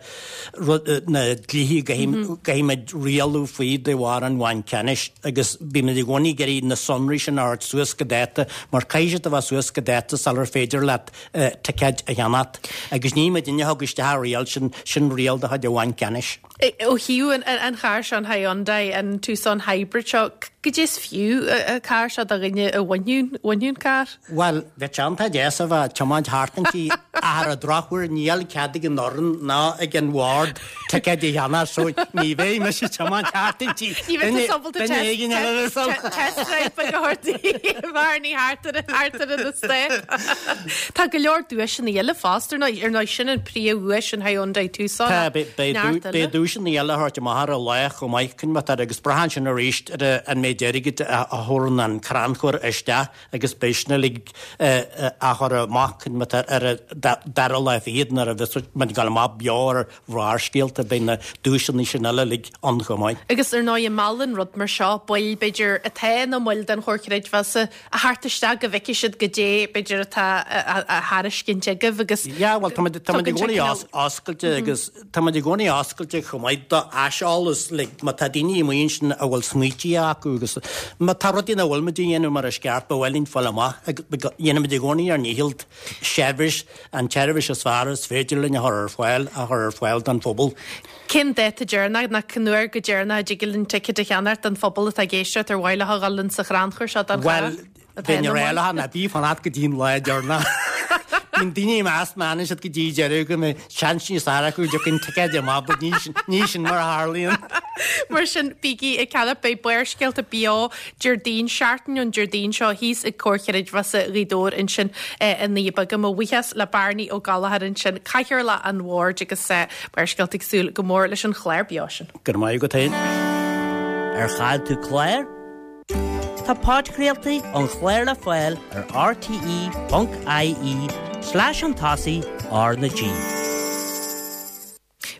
na dlíthe go gcaithfimid rialú faoi de bharr an Bhainc Ceannais agus bímid i gcónaí ag iarraidh na sonraí sin a thabhairt suas go dáta mar caithfidh siad a bheith suas go dáta sular féidir leat ticéid a cheannacht. Agus ní muidinne a thug isteach an riail sin, sin riail de chuid an Bhainc Ceannais.
Ó thaobh an chairr seo, an Hyundai, an Tucson Hybrid seo, goidé is fiú an carr seo do dhuine a bhainfeadh an carr?
Bhuel, bheadh sé iontach deas a bheith ag tiomáint thart inti ach ar an drochuair níl cead ag an fhoireann ná ag an bhord ticéid a cheannach so ní bheidh mise ag tiomáint thart inti.
Ní bheidh tú ábalta test drive beag a thabhairt di Bhearnaí thart ar thart ar an eastát. Tá go leor duaiseanna eile fosta, ar ndóigh, ar ndóigh sin an príomhdhuais an Hyundai Tucson.
Tá, beidh duaiseanna eile a thabhairt amach ar an lá chomh maith chun maith agus braitheann sin arís ar an méid airgid a thabharann an crannchur isteach agus beidh sin uilig á chur amach chun maith ar an dara lá fichead nuair a bheas muid ag dul amach beo ar Bharrscéalta beidh na duaiseanna sin eile uilig ann chomh maith.
Agus ar ndóigh meallann rud mar seo baill b'fhéidir atá ina mbaill den Chomhar Creidmheasa a theacht isteach go bhfeicfidh siad goidé b'fhéidir atá á thairiscint agaibh agus
Yeah, well tá muid tá muid i gcónaí oscailte agus tá muid i gcónaí oscailte chomh maith do aiseolas like má tá daoine amuigh ansin a bhfuil smaointe acu agus má tá rudaí nach bhfuil muid a dhéanamh mar is ceart ba mhaith linn fáil amach dhéanaimid i gcónaí ár ndícheall seirbhís an tseirbhís is fearr is féidir linn a chur ar fáil a chur ar fáil don phobal.
Cén dáta deireanach nó cén uair go deireanach a dtig linn ticéad a cheannacht don phobal atá ag éisteacht ar mhaith leo a dhul ins an chrannchur seo don
Well, bheinn ag rá leo ná bí ag fanacht go dtí an lá deireanach. Bíonn daoine ag meas má fhanann siad go dtí deireadh go mbeidh seans níos fearr acu go dtiocfaidh an ticéad amach, but ní sin, ní sin mar a tharlaíonn.
Mar sin, bígí ag ceannach, beidh Barrscéalta beo Déardaoin, seachtain ón Déardaoin seo thíos ag Comhar Creidmheasa Ghaoth Dobhair ansin i nDoire Beaga. Mo bhuíochas le Bearnaí Ó Gallchóir ansin, Cathaoirleach an Bhoird agus Barrscéalta ag súil go mór leis an chlár beo sin.
Go raibh maith agat féin.
Ar chaill tú clár? Tá podchraoltaí an chláir le fáil ar rte ponc ie slash an tosaigh R na G.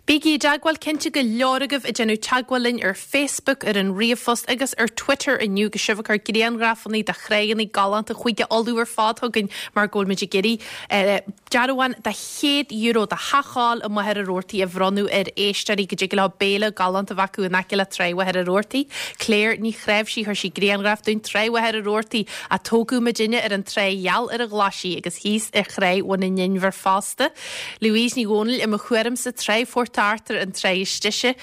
Bígí i dteagmháil cinnte go leor agaibh ag déanamh teagmháil linn ar Facebook, ar an ríomhphost agus ar Twitter inniu agus sibh ag cur grianghrafanna de thráigheanna galánta Chúige Uladh ar fad chugainn mar go bhfuil muid ag iarraidh dearbhán de chéad euro do theach i Machaire Rabhartaigh a bhronnadh ar éisteoirí go dtig leo béile galánta a bheith acu in aice le Trá Mhachaire Rabhartaigh. Claire Ní Chnáimhsí chuir sí grianghraf dúinn Trá Mhachaire Rabhartaigh a tógadh muidinne ar an trá gheal ar an Ghlaisigh agus thíos ar Thrá Bhun an Inbhir fosta. Louise Ní Dhomhnaill i mo thuairimse Trá Phort Arthur an trá is deise.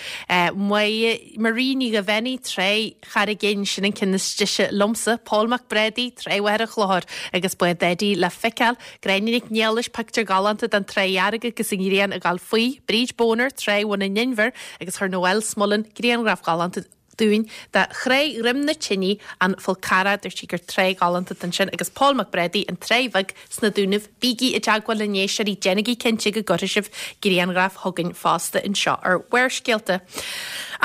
Marie Ní Ghaibheannaigh Trá Charraig Fhinn sin an ceann is deise liomsa. Paul Mac Brádaigh Trá Mhachaire Chlochair agus Bád Eddie le feiceáil. Gráinne Nic Niallais pictiúr galánta den Trá Dhearg agus an ghrian ag gabháil faoi. Bríd Boner Trá Bhun an Inbhir agus chuir Noel Smullen grianghraf galánta dúinn de Thrá Dhroim na Tine an Fál Carrach dúirt sí gur trá ghalánta ansin agus Paul Mac Brádaigh an Trá Bheag sna Dúnaibh. Bígí i dteagmháil linn a éisteoirí déanaigí cinnte go gcuirfidh sibh grianghraf chugainn fosta anseo ar Bharrscéalta.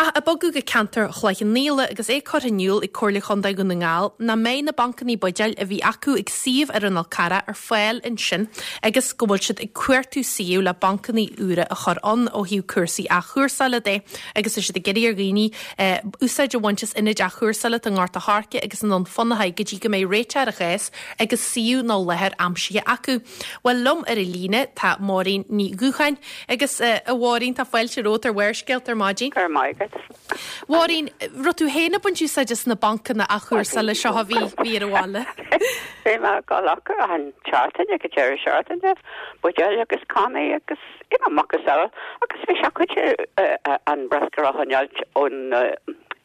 Ach ag bogadh go ceantar Chloich Cheann Fhaola agus é curtha in iúl ag Comhairle Chontae Dhún na nGall nach mbeidh na bancanna buidéil a bhí acu ag suíomh ar an Fhál Carrach ar fáil ansin agus go bhfuil siad ag cuartú suíomh le bancanna úra a chur ann ó thaobh cúrsaí athchúrsála de agus tá siad ag iarraidh ar dhaoine eh, úsáid a bhaint as ionaid athchúrsála i nGort a' Choirce agus i nDún Fionnachaidh go dtí go mbeidh réiteach ar an chás agus suíomh nó láthair aimsithe acu. Well liom ar an líne tá Máirín Ní Dhúcháin agus uh, a Mháirín tá fáilte romhat ar Bharrscéalta ar maidin.
Ar maidin.
Mháirín, raibh tú féin ag baint úsáid as na bancanna athchúrsála seo a bhí bhí ar an bhaile.
Bhí mé go leach an seachtain go deireadh seachtaine, buidéil agus cannaí agus ina macasamhail agus bhí sé chuid an bruscar a choinneáilt ón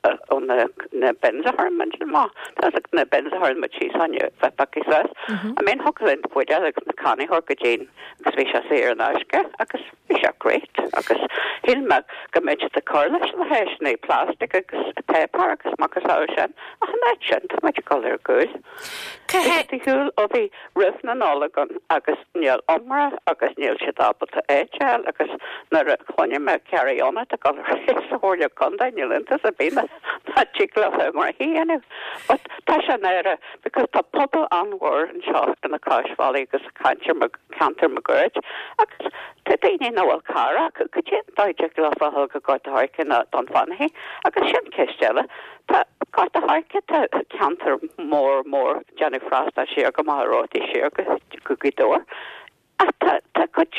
ó na na bins a chuir má Tá na bins a chuir muid síos ann bheith paí suas. I mean thug linn buidéil agus na cannaí thor go dtín agus bhí sé saor in aisce agus bhí sé great agus shíl mé go mbeidh siad ag cur leis na háiseanna plastic agus paper agus macasamhail sin ach an áit sin tá muid ag dul ar gcúl. Shiúil ó bhí roimh na Nollag ann agus níl iomra agus níl siad ábalta éiteil agus nuair a chluinim mé carry on ag dul sa Chomhairle Contae níl iontas ar bith ná tig leo mar a dhéanamh. But tá sé náireach because tá pobal an-mhór anseo ina Crois Bhaile agus ceantar ceantar máguaird agus tá daoine nach bhfuil carr acu go dtí dóigh le fáil go Gort a' Choirce nó Dún Fionnachaidh agus sin ceist eile. Tá Gort a' Choirce tá ceantar mór mór déanamh freastal siar go Machaire Rabhartaigh siar go go Gaoth Dobhair. Ach tá tá cuid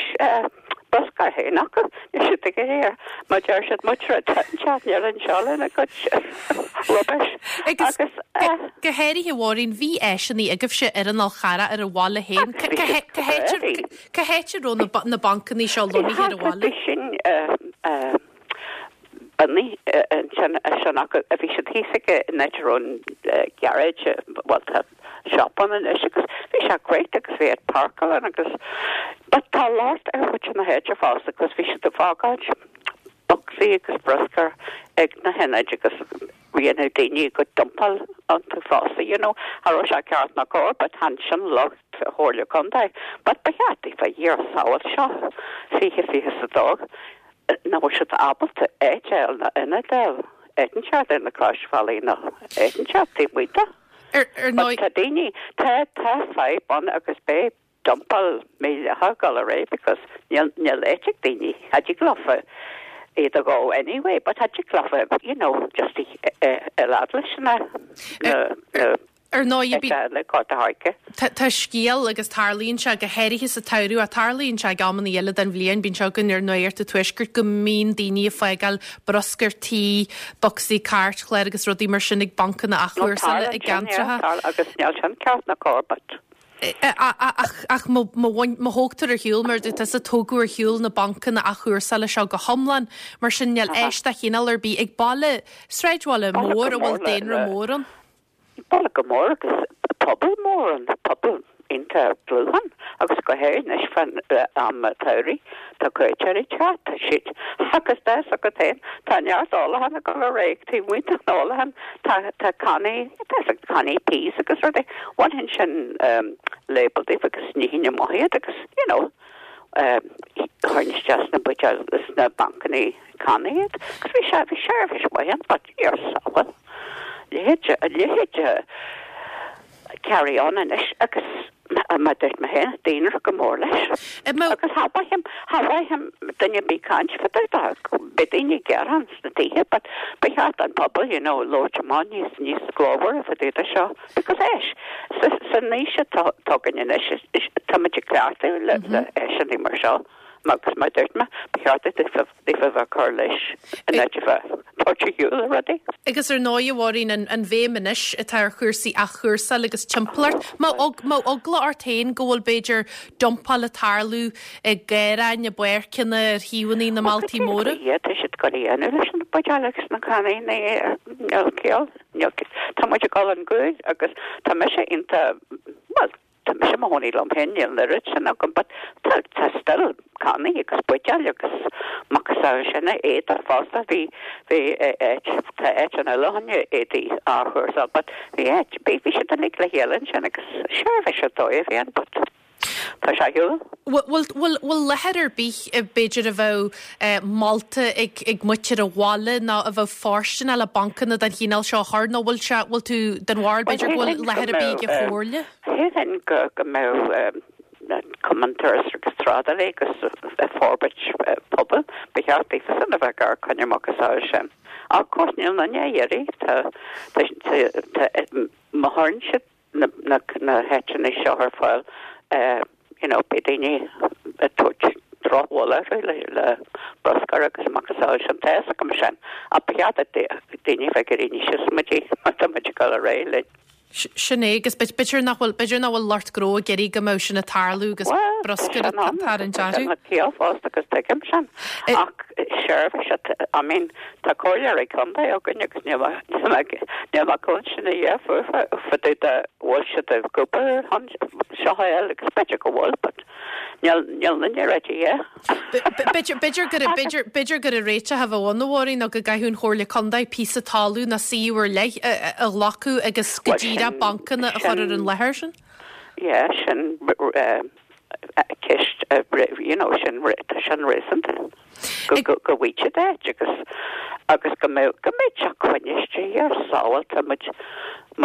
bruscar féin acu ní siad ag air má deir siad mutra níl anseo lena gcuid rubbish.
Agus
Agus
go háirithe Mháirín bhí áiseanna agaibhse ar an Fhál Carrach ar an bhaile féin. Cá háit a raibh na ba- na bancanna seo lonnaithe ar an bhaile?
Bhí sin bunny sin sin acu a bhí siad thíos aige in áit an garage well tá shop ann anois agus bhí sé great agus bhí ag páirceáil agus but tá locht ar chuid na háite fosta agus bhí siad ag fágáil bocsaí agus bruscar ag na hionaid agus bhíonn daoine go dumpáil iontu fosta you know cha raibh sé ceart ná cóir but chan sin locht Chomhairle Contae but ba cheart fa dhír sáil seo fiche fiche sa dó nach bhfuil siad ábalta éiteil na ionadail éan seart ar na Croisbhealaí nó éan seart taobh amuigh de.
Ar ar
But
ndóigh
tá daoine tá tá fadhb ann agus beidh dumpáil míle gal ré because níl níl áit ag daoine cha dtig leofa iad a go anyway, but cha dtig leofa you know just i lad leis na na na
ar ndóigh bí
le Gort a' Choirce.
Tá tá scéal agus tarlaíonn sé go háirithe sa tsamhradh a tarlaíonn sé ag amanna eile den bhliain bíonn sé againn ar ndóigh sa tuaisceart go mbíonn daoine ag fágáil bruscar tí, bocsaí cairtchláir agus rudaí mar sin ag bancanna athchúrsála i gceantracha.
agus níl sin ceart ná cóir but
Ach ach má má thógtar ar shiúl mar dúirt tusa tógadh ar shiúl na bancanna athchúrsála seo go hiomlán mar sin níl áis de chineál ar bith ag baile sráidbhaile
Baile
mór
go
a bhfuil
mór le-
daonra
le-
mór ann.
Baile go mór agus pobal mór an pobal iontach dlúth ann agus go háirithe fan am tsamhraidh tá cuairteoirí teacht tá siad agus tá go féin tá neart ólachán ag dul ar aghaidh taobh amuigh den ólachán tá tá cannaí tá cannaí peas agus rudaí bhainfinn sin um, label díobh agus ní hinne maithéad agus you know um, chuirfinn isteach sna buidéil sna bancanna cannaí iad agus bhí sé bhí seirbhís mhaith but níor sábháil leithéid leithéid carry on anois agus ma dúirt mé féin daonra go mór leis. Agus cha mhaithim cha mhaithim duine bí caint fa be daoine gearán sna tithe, but ba cheart an pobal you know labhairt amach níos níos glórmhaire fa dtaobh de seo because éis san aois atá againn anois tá muid ag cleachtadh le le áiseanna mar seo. Agus mar dúirt mé ba cheart daofa bheith cur leis an áit a bheith tabhairt ar shiúl a rudaí.
Agus ar ndóigh a Mháirín an, an bhéim anois atá ar chúrsaí athchúrsáil agus timpeallacht. Má má eagla ort féin go bhfuil b'fhéidir dumpáil ag tarlú i ngarraithe i bpáirceanna ar thaobhanna na mbailte móra.
Ie, tá siad go dhéanamh leis an buidéal agus na cannaí níl ciall Tá muid ag dul ar gcúl agus tá mise iontach well tá mise mo chónaí liom féin níl an oiread sin agam but tá tá still cannaí agus buidéil agus macasamhail sin éadaí fosta bhí bhí áit tá áit an eile éadaí athchúrsáil but bhí áit bhí bhí siad uilig le chéile sin agus seirbhís dóibh bhí an but tá sé ar shiúl.
Bhfuil láthair ar bith b'fhéidir a bheadh molta ag ag muintir an bhaile nó a bheadh fóirsteanach le bancanna den chineál seo a chur nó bhfuil sé bhfuil tú den bharúil b'fhéidir go bhfuil láthair ar bith ag an chomhairle?
Shílfinn go go mbeadh Cumann Turas agus Trádálaí agus Forbairt Pobail ba cheart daofa a bheith gar coinne macasamhail sin. Ach of course níl aon duine á iarraidh tá tá má chuireann siad na na na háiteanna seo ar fáil you know beidh daoine ag tabhairt drochbhail orthu le le bruscar agus macasamhail sin tá fhios agam sin ach ba cheart daoine bheith ag éirí níos muidí má tá muid ag dul ar aghaidh linn.
Sin é agus b'fhéidir nach bhfuil b'fhéidir nach bhfuil lucht gnó ag iarraidh go mbeadh sin ag tarlú agus bruscar ag tarraingt orthu.
Tá ciall fosta agus tuigim sin ach seirbhís I mean tá comhairleoirí contae againn agus níl níl mé cluinstin a dhath fúthu fá dtaobh de bhfuil siad ag obair ar seo eile agus b'fhéidir go bhfuil but níl níl duine ready yeah.
B'fhéidir b'fhéidir gur b'fhéidir b'fhéidir gur réiteach a bheadh ann a Mháirín nó go gcaithfeadh an Chomhairle Contae píosa talún nó suíomh ar leith a ghlacadh agus go díreach bancanna a chur ar an láthair sin?
Yeah, sin ceist you know sin sin réasúnta go go go bhfuil áit agus agus go mbeadh go mbeadh sé coinniste ar sábháilte muid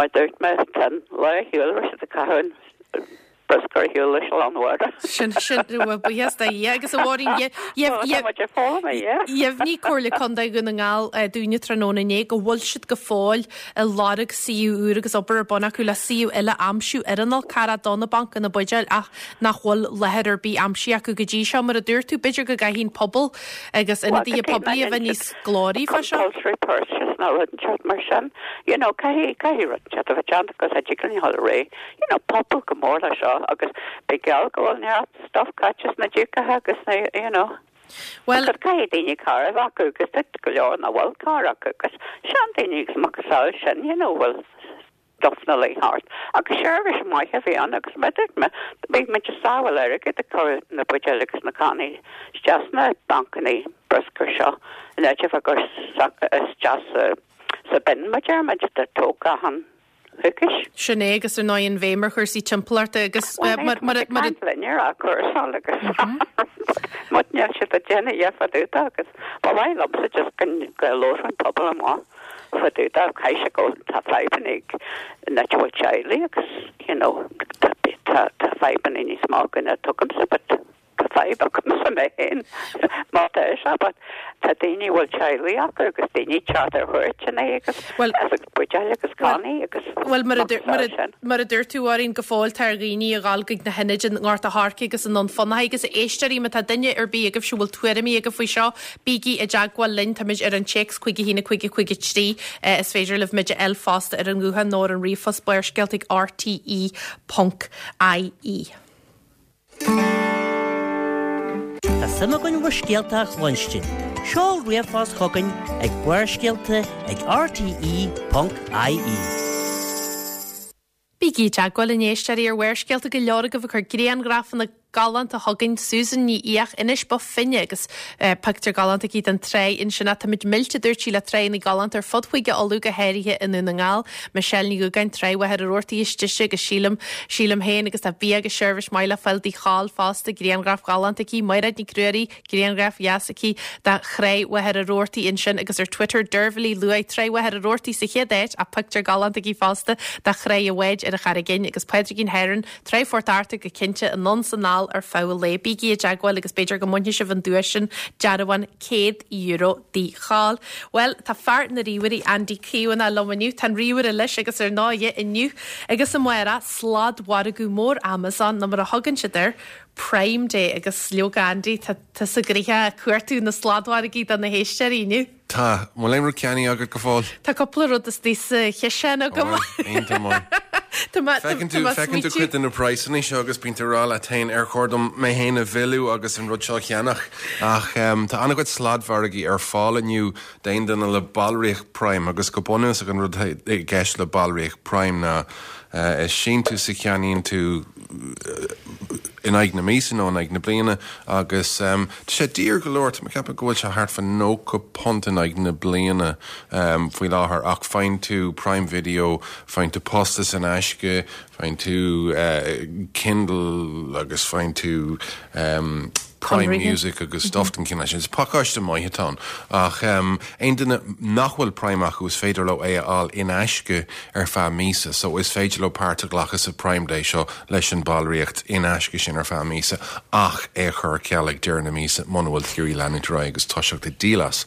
mar dúirt mé tá an lá ar shiúl raibh siad ag caitheamh bruscar ar shiúl leis an mháire.
Sin sin buíochas do Dhia agus a Mháirín dheimhnigh Comhairle Contae Dhún na nGall dúinne tráthnóna inné go bhfuil siad go fóill ag lorg suíomh úr agus obair ar bun acu le suíomh eile a aimsiú ar an Fhál Carrach do na bancanna buidéil ach nach bhfuil láthair ar bith aimsithe acu go dtí seo mar a dúirt tú b'fhéidir go gcaithfidh an pobal agus ionadaithe poiblí a bheith níos glóraí fá seo.
Compulsory purchase nó rud inteacht mar sin you know caithfidh caithfidh rud inteacht a bheith déanta agus a dtig linn a dhul ar aghaidh you know pobal go mór le seo agus beidh geall go bhfuil neart stuff caite sna díocaithe agus na you know
Well
Because caithfidh daoine carr a bheith acu agus tá go leor nach bhfuil carr acu agus seandaoine agus macasamhail sin you know bhfuil stuff na lei thart. Agus seirbhís maith a bhí ann agus mar dúirt mé beidh muid ag sábháil airgead ag cur na buidéil agus na cannaí isteach sna bancanna bruscair seo in áit a bheith ag cur isteach sa sa bin mar deir muid de tógtha achan coicís.
Sin é agus ar ndóigh an bhéim ar chúrsaí timpeallachta agus mar mar mar
linn ar a cúrsáil agus Mut níl siad ag déanamh a dhath fá dtaobh de agus ba mhaith liomsa just go go labhródh an pobal amach fá dtaobh de caithfidh sé go tá fadhbanna ag na bhfuil teaghlaigh agus you know tá tá tá fadhbanna níos mó againn ná tugaimse but tá fadhb agamsa mé féin má tá sé but tá daoine a bhfuil teaghlaigh acu agus daoine ag teacht ar chuairteanna agus
Well
agus buidéil agus cannaí agus
Well mar a dúirt- mar a- mar a dúirt tú a Mháirín go fóill tá ar dhaoine a ghabháil chuig na hionaid i nGort a' Choirce agus i nDún Fionnachaidh agus éisteoirí má tá duine ar bith agaibh a bhfuil tuairimí agaibh faoi seo bígí i dteagmháil linn táimid ar an téacs cúig a haon a cúig a cúig a trí eh, is féidir libh muid a fháil fosta ar an nguthán nó ar an ríomhphost barrscéalta ag RTE ponc IE.
Tá suim againn bhur scéalta a chluinstin. Seol ríomhphost chugainn ag barrscéalta ag RTE ponc IE.
Bígí i dteagmháil linn a éisteoirí ar Bharrscéalta go leor agaibh ag cur grianghrafanna galánta chugainn Susan Ní Fhiach Inis Bó Finne agus eh, pictiúr galánta aici den trá ansin táimid millte dúirt sí le trána galánta ar fud Chúige Uladh go háirithe i nDún na nGall, Michelle Ní Dhúgáin Trá Mhachaire Rabhartaigh istigh agus sílim sílim féin agus tá bia agus seirbhís maith le fáil Dtigh Chóil fosta grianghraf galánta aici Mairéad Ní Cruairí grianghraf dheas aici de Thrá Mhachaire Rabhartaigh ansin agus ar Twitter Dervlaí luaigh Trá Mhachaire Rabhartaigh sa chéad áit a pictiúr galánta aici fosta de Thrá an Bháid ar an Charraig Fhinn agus Pádraigín Heron Trá Phort Arthur go cinnte anonn is anall ar feadh an lae bígí i dteagmháil agus b'fhéidir go mbainfidh sibh an duais sin dearbhán céad euro Dtigh Chóil. Well tá fear na ríomhairí Andy Caomhánach liom inniu tá an ríomhaire leis agus ar ndóigh inniu agus amárach sladmhargadh mór Amazon nó mar a thugann siad air Prime Day agus leoga Andy tá tusa gnoitheach ag cuartú na sladmhargaí do na héisteoirí inniu.
Tá bhfuil aon rud ceannaithe agat go fóill?
Tá cúpla rud istigh sa chiseán agam.
Iontach maith.
Tá mé-
Feiceann
tá
tú
mé
feiceann tú
smaoitiú-
cuid de na praghsanna seo agus bíonn tú ag rá leat féin ar chóir dom mé féin a mhilleadh agus an rud seo a cheannach ach um, tá an-chuid sladmhargaí ar fáil inniu d'aon duine le ballraíocht Prime agus go bunúsach an rud i gceist le ballraíocht Prime ná uh, is síntiús a cheannaíonn tú in aghaidh na míosa nó in aghaidh na bliana agus um, tá sé daor go leor tá ceapaim go bhfuil sé thart fá nócha punt in aghaidh na bliana um, faoi láthair ach faigheann tú Prime Video, faigheann tú postas in aisce, faigheann tú uh, Kindle agus faigheann tú um, Prime
Conraithe.
Music agus stuff den chineál sin. Is pacáiste maith atá ann ach um, aon duine nach bhfuil Prime acu is féidir leo é a fháil in aisce ar feadh míosa, so is féidir leo páirt a ghlacadh sa Prime Day seo leis an ballraíocht in aisce sin ar feadh míosa ach é chur ceal ag deireadh na míosa muna bhfuil tú ag leanúint ar aghaidh agus toiseacht ag díol as.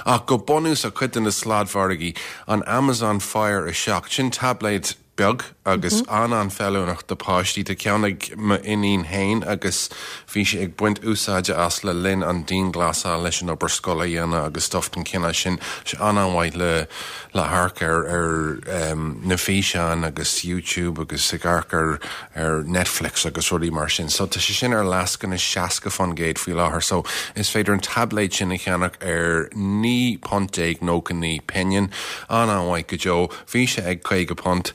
Ach go bunúsach cuid de na sladmhargaí an Amazon Fire a seacht sin tablet beag agus mm -hmm. an an-fheiliúnach do páistí tá ceann ag m'iníon féin agus bhí sé ag baint úsáide as le linn an dianghlasáil leis an obair scoile a dhéanamh agus stuff den chineál sin sé an-an-mhaith le le hamharc ar ar um, na físeáin agus YouTube agus ag amharc ar ar Netflix agus rudaí mar sin. So tá sé sin ar lascaine seasca faoin gcéad faoi láthair, so is féidir an tablet sin a cheannach ar naoi punt déag nócha naoi pingin an-an-mhaith go deo, bhí sé ag caoga punt.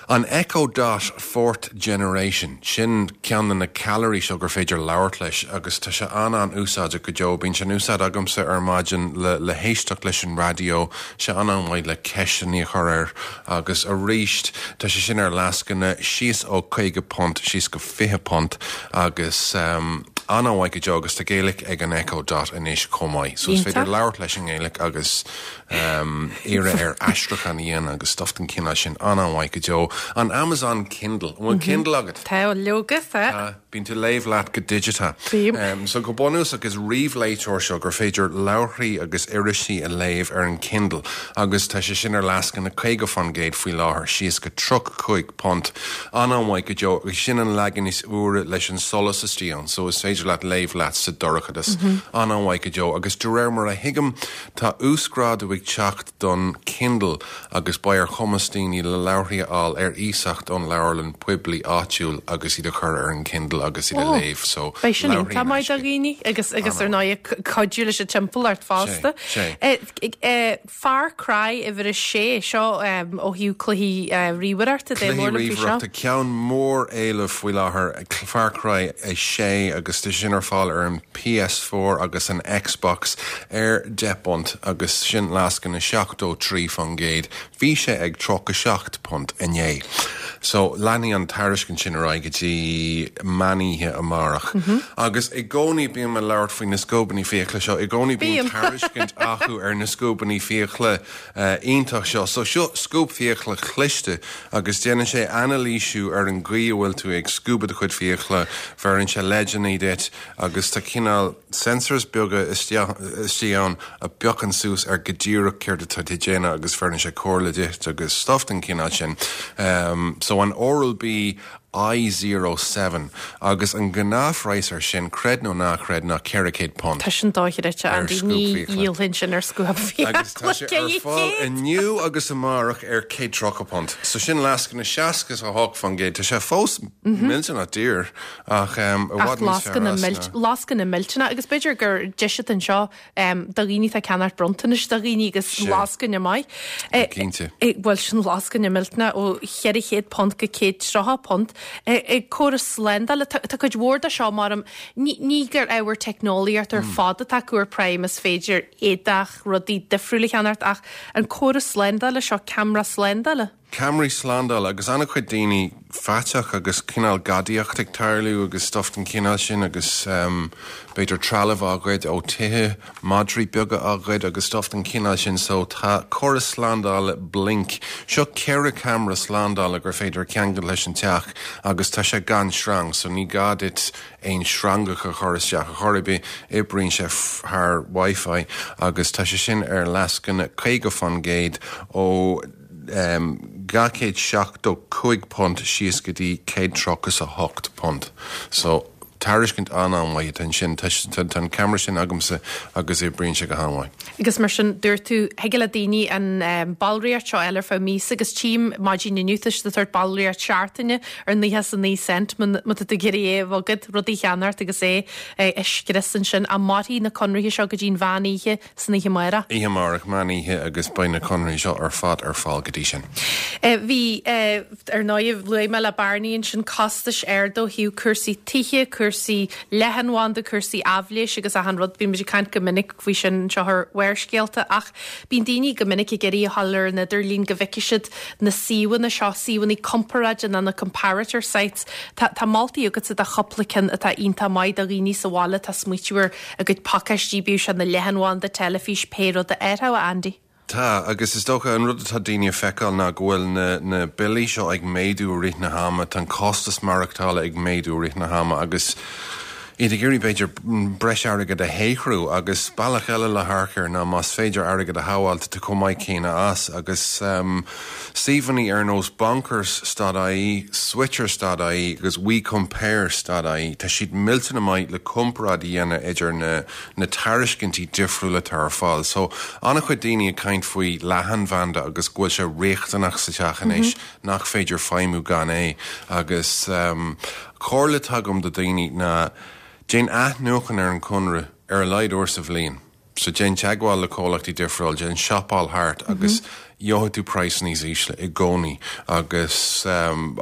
An Echo Dot Fourth Generation sin ceann de na ceallraí seo gur féidir labhairt leis agus tá sé an an-úsáideach go deo, bíonn sé in úsáid agamsa ar maidin le, le héisteacht leis an raidió sé an-an-mhaith le ceisteanna a chur air agus arís tá sé sin ar lascaine síos ó caoga punt síos go fiche punt agus um, an-an-mhaith go deo agus tá Gaeilge ag an Echo Dot anois chomh maith. So is féidir
Iontach.
labhairt leis an nGaeilge agus um, iarraidh air aistriúchán a dhéanamh agus stuff den chineál sin an-an-mhaith go deo. An Amazon Kindle, an bhfuil Kindle agat?
Tá leoga tá.
Uh, Bíonn tú léamh leat go digiteach.
Bím.
Um, so go bunúsach is ríomhléiteoir seo gur féidir leabharthaí agus irisí a léamh ar an Kindle agus tá sé sin ar lascaine caoga faoin gcéad faoi láthair síos go tríocha cúig punt an-an-mhaith go deo agus sin an leagan is úire leis an solas istigh ann, so is féidir leat léamh leat sa dorchadas mm -hmm. an-an-mhaith go deo agus de réir mar a thuigim tá uasghrádú ag teacht don Kindle agus beidh ar chumas daoine le leabharthaí a fháil ar iasacht ón leabharlann poiblí áitiúil agus iad a chur ar an Kindle agus iad a
Oh,
léamh so
Beidh sin
leabharthaí
iontach
in
maith do
aisce.
dhaoine agus agus ar ndóigh cuidiú leis an timpeallacht fosta.
Sé, sé.
Eh, eh, Far Cry uimhir a sé seo um, ó thaobh cluichí uh, ríomhaireachta de
Cluichí
mór faoi seo.
ríomhaireachta ceann mór éilimh faoi láthair Far Cry a sé agus tá sin ar fáil ar an P S four agus an Xbox ar deich bpunt agus sin lascaine seachtó trí faoin gcéad. Bhí sé ag tríocha seacht punt inné. So leanfaidh an tairiscint sin ar aghaidh go dtí meánoíche amárach. Mm -hmm. Agus i gcónaí bím ag labhairt faoi na scuabáin fiacla seo, i gcónaí bíonn
Bím.
tairiscint acu ar na scuabáin fiacla uh, iontach seo. So seo scuab fiacla cliste agus déanann sé anailísiú ar an gcaoi a bhfuil tú ag scuabadh do chuid fiacla, bheireann sé leideanna duit agus tá cineál sensors beaga istigh ann a phiocann suas ar go díreach céard atá tú ag déanamh agus bheireann sé comhairle duit agus stuff den chineál sin. Um, so an Oral-B I zero seven agus an gnáthphraghas ar sin creid nó ná creid ná ceithre chéad punt.
Tá sin dochreidte
Ar
Andy
scuab
ní
fiacla.
dhíolfainn sin ar scuab
Agus tá sé ar fáil inniu agus amárach ar céad tríocha punt. So sin lascaine seasca a hocht faoin gcéad. Tá sé fós millteanach daor ach um, i
Ach
bhfad níos fearr
lascaine
as
milt-
ná-
lascaine millteanach agus b'fhéidir gur deis é seo um, do dhaoine atá ag ceannacht bronntanais do dhaoine agus
Sé.
lascaine maith. Eh,
Cinnte.
eh, Bhuel sin lascaine millteanach ó cheithre chéad punt go céad tríocha punt. Ag córas slándála tá tá cuid mhór de seo mar ní ní gur ábhar teicneolaíocht ar fad atá acu ar Prime is féidir éadach rudaí difriúla a cheannacht ach an córas slándála seo ceamara slándála.
Ceamaraí slándála agus an-chuid daoine faiteach agus cineál gadaíocht ag tarlú agus stuff den chineál sin agus um, b'fhéidir trealamh á ghoid ó thithe madraí beaga á ghoid agus stuff den chineál sin so tá córas slándála Blink. Seo ceithre ceamara slándála gur féidir ceangal leis an teach agus tá sé gan sreang, so ní gá duit aon sreangach a chur isteach a chor ar bith oibríonn sé thar Wi-Fi agus tá sé sin ar lascaine caoga faoin gcéad ó um, dhá chéad seachtó cúig punt síos go dtí céad tríocha a hocht punt. So tairiscint an-an-mhaith atá ansin. Tá tá an ceamara sin agamsa agus oibríonn sé go han-mhaith.
Agus mar sin dúirt tú thig le daoine an ballraíocht seo a fháil ar feadh míosa agus tchím maidin inniu tá siad ag tabhairt ballraíocht seachtaine ar naocha is a naoi cent má tá tú ag iarraidh é a bhogadh, rudaí a cheannacht agus é a scrios ansin. Ach mairfidh na conarthaí seo go dtí an mheán oíche san oíche amárach.
Oíche amárach, meán oíche agus beidh na conarthaí seo ar fad ar fáil go dtí sin.
Bhí, ar ndóigh, luaigh mé le Barney ansin costais arda ó thaobh cúrsaí tithe, cúrsaí leathanbhanda, cúrsaí aibhléis agus achan rud. Bíonn muid ag caint go minic faoi sin anseo ar Bharrscéalta ach bíonn daoine go minic ag iarraidh a ghabháil ar an idirlíon go bhfeicfidh siad na suíomhanna seo, suíomhanna comparáide nó na comparator sites. Tá tá moltaí agatsa do chúpla ceann atá iontach maith do dhaoine sa bhaile atá ag smaoitiú ar a gcuid pacáistí, bíodh sé na leathanbhanda, teilifís, pé rud a athrú, a Andy.
Tá, agus is dócha an rud atá daoine a feiceáil ná go bhfuil na, na billí seo ag méadú i rith na hama, tá an costas maireachtála ag méadú i rith na hama agus iad ag iarraidh b'fhéidir breis airgead a shaothrú agus bealach eile le hamharc air ná más féidir airgead a shábháil tá tú chomh maith céanna as agus um, suíomhanna ar nós bonkers dot ie, switchers dot ie agus WeCompare dot ie, tá siad millteanach maith le comparáid a dhéanamh idir na, na tairiscintí difriúla atá ar fáil. So an-chuid daoine ag caint faoi leathanbhanda agus go bhfuil sé riachtanach sa teach anois nach féidir feidhmiú gan é agus um, comhairle atá agam do daoine ná déan athnuachan ar an conradh ar a laghad uair sa bhliain. So déan teagmháil le comhlachtaí difriúil, déan siopáil thart agus gheobhaidh tú praghas níos ísle i gcónaí agus um,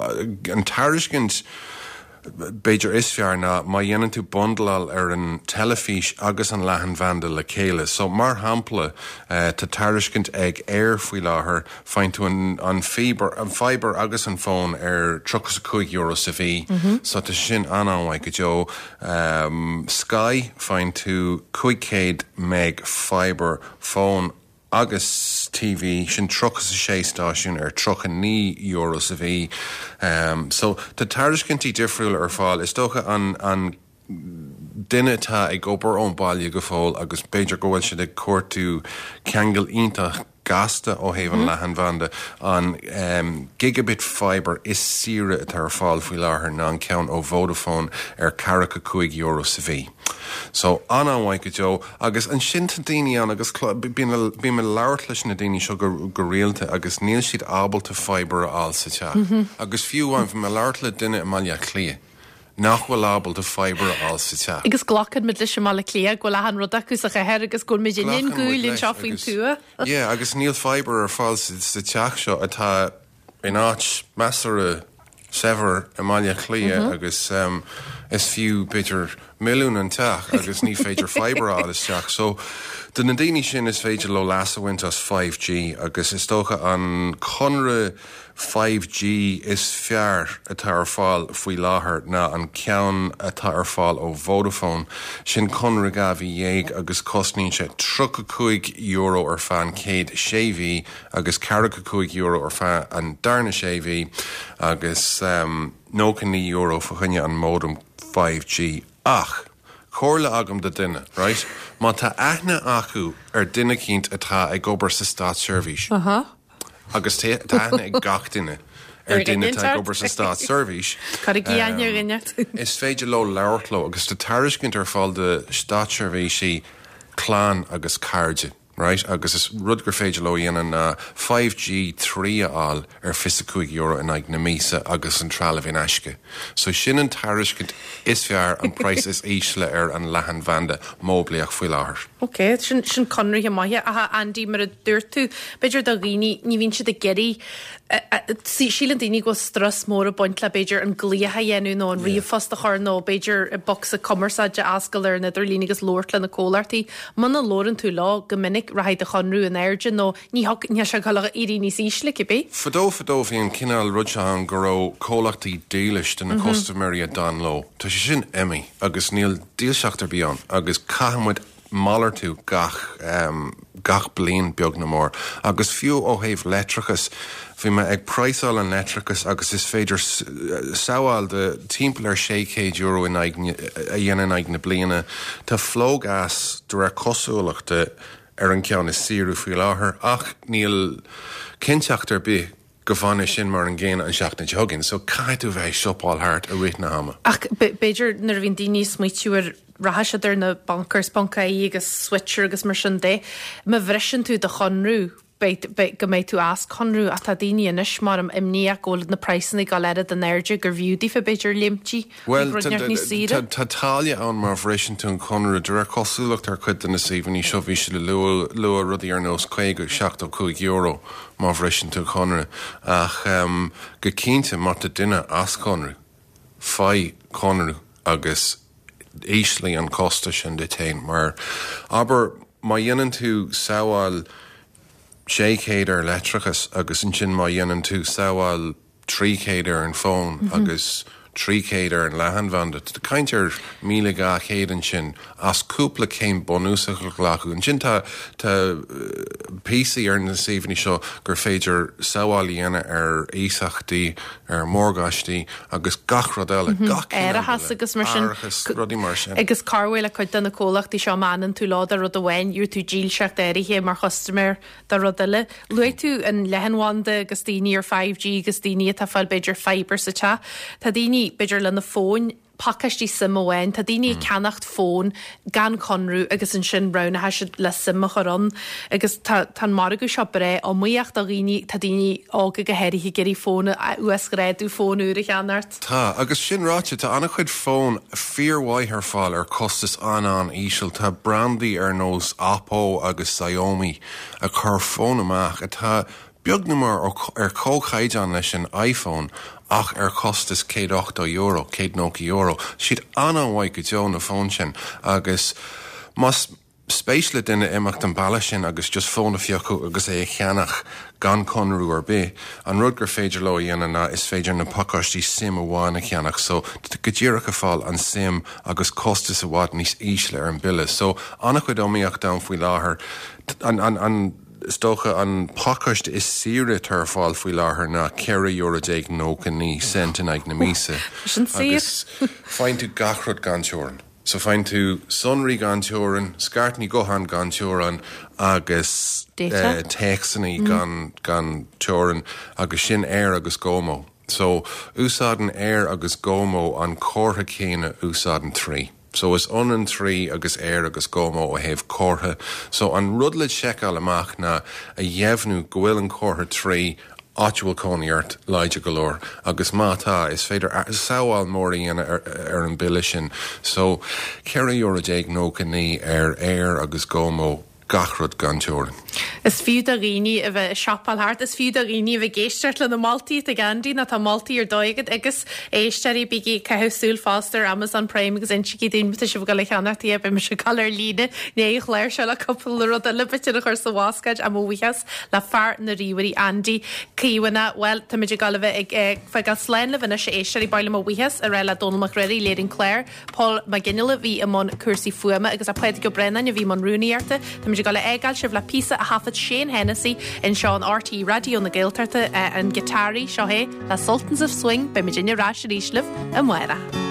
an tairiscint b'fhéidir is fearr ná má dhéanann tú bundláil ar an teilifís agus an leathanbhanda le chéile. So mar shampla uh, tá tairiscint ag Eir faoi láthair faigheann tú an, an fiber, an fiber agus an fón ar tríocha cúig euro sa mhí. Mm -hmm. So tá sin an-an-mhaith go deo. Um, Sky faigheann tú cúig chéad meg fiber fón agus T V sin tríocha sé stáisiún ar tríocha naoi euro sa mhí. Um, so tá tairiscintí difriúla ar fáil is dócha an, an duine atá ag obair ón baile go fóill agus b'fhéidir go bhfuil siad ag cuartú ceangal iontach gasta ó thaobh an leathanbhanda an um, gigabit fiber is saoire atá ar fáil faoi láthair ná an ceann ó Vodafone ar ceathracha cúig euro sa mhí. So an-an-mhaith go deo agus ansin tá daoine ann agus bím ag labhairt leis na daoine seo go, go rialta agus níl siad ábalta fiber a fháil sa teach. Mm -hmm. Agus fiú amháin bhí mé ag labhairt le duine i mBaile Átha Cliath nach bhfuil ábalta fiber a fháil sa teach.
Agus glacann muid leis i mBaile Átha Cliath go bhfuil achan rud acu sa chathair agus go bhfuil muid in gúil anseo faoin tuath.
Yeah, agus níl fiber ar fáil sa, sa teach seo atá in áit measartha saibhir i mBaile Átha Cliath mm -hmm. agus um, is fiú b'fhéidir milliún an teach agus ní féidir fiber a fháil isteach. So do na daoine sin is féidir leo leas a bhaint as five G agus is dócha an conradh five G is fearr atá ar fáil faoi láthair ná an ceann atá ar fáil ó Vodafone sin conradh dhá mhí dhéag agus cosnaíonn sé tríocha cúig euro ar feadh an chéad sé mhí agus ceathracha cúig euro ar feadh an darna sé mhí agus um, nócha naoi euro fá choinne an modem five G ach comhairle agam do duine, right? Má tá aithne acu ar duine eicínt atá ag obair sa státseirbhís.
Uh -huh.
Agus tá aithne ag gach duine ar duine atá ag obair sa státseirbhís. Is féidir leo labhairt leo agus tá tairiscint ar fáil do státseirbhísigh clann agus cairde. Right? Agus is rud gur féidir leo dhéanamh ná five G trí a fháil ar fiche cúig euro in aghaidh na míosa agus an trealamh in aisce. So sin an tairiscint is fearr an praghas is ísle ar an leathanbhanda móiblíoch faoi láthair.
Ok, sin sin conarthaí maithe a Andy mar a dúirt tú, b'fhéidir do dhaoine ní bhíonn siad ag iarraidh síleann daoine go strus mór ag baint le b'fhéidir an glaoch a dhéanamh nó an ríomhphost a chur nó b'fhéidir bocsa cumarsáide a oscailt ar an idirlíon agus labhairt le na comhlachtaí. Muna labhrann tú leo go minic rachaidh do chonradh in airde nó ní ní sé go éirí níos ísle cibé.
Fadó fadó bhí an cineál rud seo ann go raibh comhlachtaí dílis do na custaiméirí a d'fhan leo. Tá sé sin imithe agus níl dílseacht ar bith ann agus caithfimid malartú gach um, gach bliain beag nó mór. Agus fiú ó thaobh leictreachas, bhí mé ag praghsáil an leictreachas agus is féidir sábháil de timpeall ar sé chéad euro in aghaidh a dhéanamh in aghaidh na bliana. Tá Flogas de réir cosúlachta ar an ceann is saoire faoi láthair ach níl cinnteacht ar bith go bhfanfaidh sin mar an gcéanna an seachtain seo chugainn. So caithfidh tú bheith ag siopáil thart i rith na hama.
Ach b'fhéidir nuair a bhíonn daoine ag smaoitiú ar rachaidh siad ar na bonkers ponc ie agus Switcher agus mar sin de, má bhriseann tú do chonradh beidh, beidh, go mbeidh tú as conradh ach tá daoine anois mar am imníoch go bhfuil na praghsanna ag dul oiread in airde gur bhfiú daofa b'fhéidir léimtí
Bhuel,
chuig rud inteacht níos saoire.
tá táille ann má bhriseann tú an conradh. De réir cosúlacht ar chuid de na suíomhanna seo bhí siad ag lua, lua rudaí ar nós caoga, seachtó cúig euro má bhriseann tú conradh. Ach um, go cinnte má tá duine as conradh, faigh conradh agus ísligh an costas sin duit féin mar abair má dhéanann tú sábháil sé chéad ar leictreachas agus ansin má dhéanann tú sábháil trí chéad ar an bhfón mm -hmm. agus trí chéad ar an leathanbhanda. Tá caint ar míle dhá chéad ansin as cúpla céim bunúsach a ghlacadh. Ansin tá tá píosaí ar na suíomhanna seo gur féidir sábháil a dhéanamh ar iasachtaí, ar mhorgáistí agus gach rud eile. Mm -hmm. Gach
Árachas agus mar sin.
Árachas, rudaí mar sin.
Agus corruair le cuid de na comhlachtaí seo má fhanann tú leo do rud amháin, gheobhaidh tú dílseacht áirithe mar chustaiméir do rud eile. Luaigh tú an leathanbhanda agus daoine ar five G agus daoine atá fáil b'fhéidir fibre sa teach. Tá daoine b'fhéidir lena fóin pacáistí SIM amháin, tá daoine ag ceannacht fón gan conradh agus ansin roghnaithe siad le SIM a chur ann. Agus tá tá an margadh seo breá iomaíoch do dhaoine, tá daoine óga go háirithe ag iarraidh fón a uasghrádú fón úr a cheannacht.
Tá, agus sin ráite, tá an-chuid fón fíormhaith ar fáil ar costas an-an-íseal. Tá brandaí ar nós Oppo agus Xiaomi ag cur fón amach atá beag nó mór ar comhchaighdeán leis an iPhone ach ar costas céad ochtó euro, céad nócha euro. Siad an-an-mhaith go deo na fóin sin agus más spéis le duine imeacht an bealach sin agus just fón a phiocadh agus é a cheannach gan conradh ar bith, an rud gur féidir leo a dhéanamh ná is féidir na pacáistí SIM amháin a cheannach, so go díreach ag fáil an SIM agus costas i bhfad níos ísle ar an bille. So an-chuid iomaíocht ann faoi láthair. An, an, an, is dócha an pacáiste is saoire atá ar fáil faoi láthair ná ceithre euro déag nócha naoi cent in aghaidh na míosa.
Sin saor.
Agus faigheann tú gach rud gan teorainn. So faigheann tú sonraí gan teorainn, scairteanna gutháin gan teorainn agus
Data?
uh, téacsanna mm. gan, gan teorainn agus sin Eir agus GoMo. So úsáideann Eir agus GoMo an comhartha céanna úsáideann Three. So is ionann Three agus Eir agus GoMo ó thaobh comhartha. So an rud le seiceáil amach ná a dheimhniú go bhfuil an comhartha Three áit a bhfuil cónaí ort láidir go leor agus má tá is féidir sábháil mór a dhéanamh ar, ar an bille sin. So ceithre euro déag nócha naoi ar Eir agus GoMo gach rud gan teorainn.
Is fiú do dhaoine a bheith ag siopáil thart, is fiú do dhaoine a bheith ag éisteacht le na moltaí ag Andy ná tá moltaí ar dóigh agat agus éisteoirí bígí ag caitheamh súil fosta ar Amazon Prime agus insígí dúinn tá sibh ag dul a cheannacht é beidh mise ag dul ar líne ní chléir seo le cúpla rud eile b'fhéidir a chur sa bhascáid am ó bhuíochas le fear na ríomhairí Andy Caomhana. Well táimid ag dul a bheith ag fágáil slán libh anois a éisteoirí ba mhaith liom mo bhuíochas a rá le Dónal Mac Ruairí léirigh an clár, Paul Mac Ginnela bhí i mbun cúrsaí fuaime agus a Pádraig Ó Braonáin a bhí i mbun rúnaíochta. Táimid ag dul a fhágáil sibh le píosa a thaifead Shane Hennessy anseo in R T E Raidió na Gaeltachta an giotáraí seo é le Sultans of Swing beimid ar ais arís libh amárach.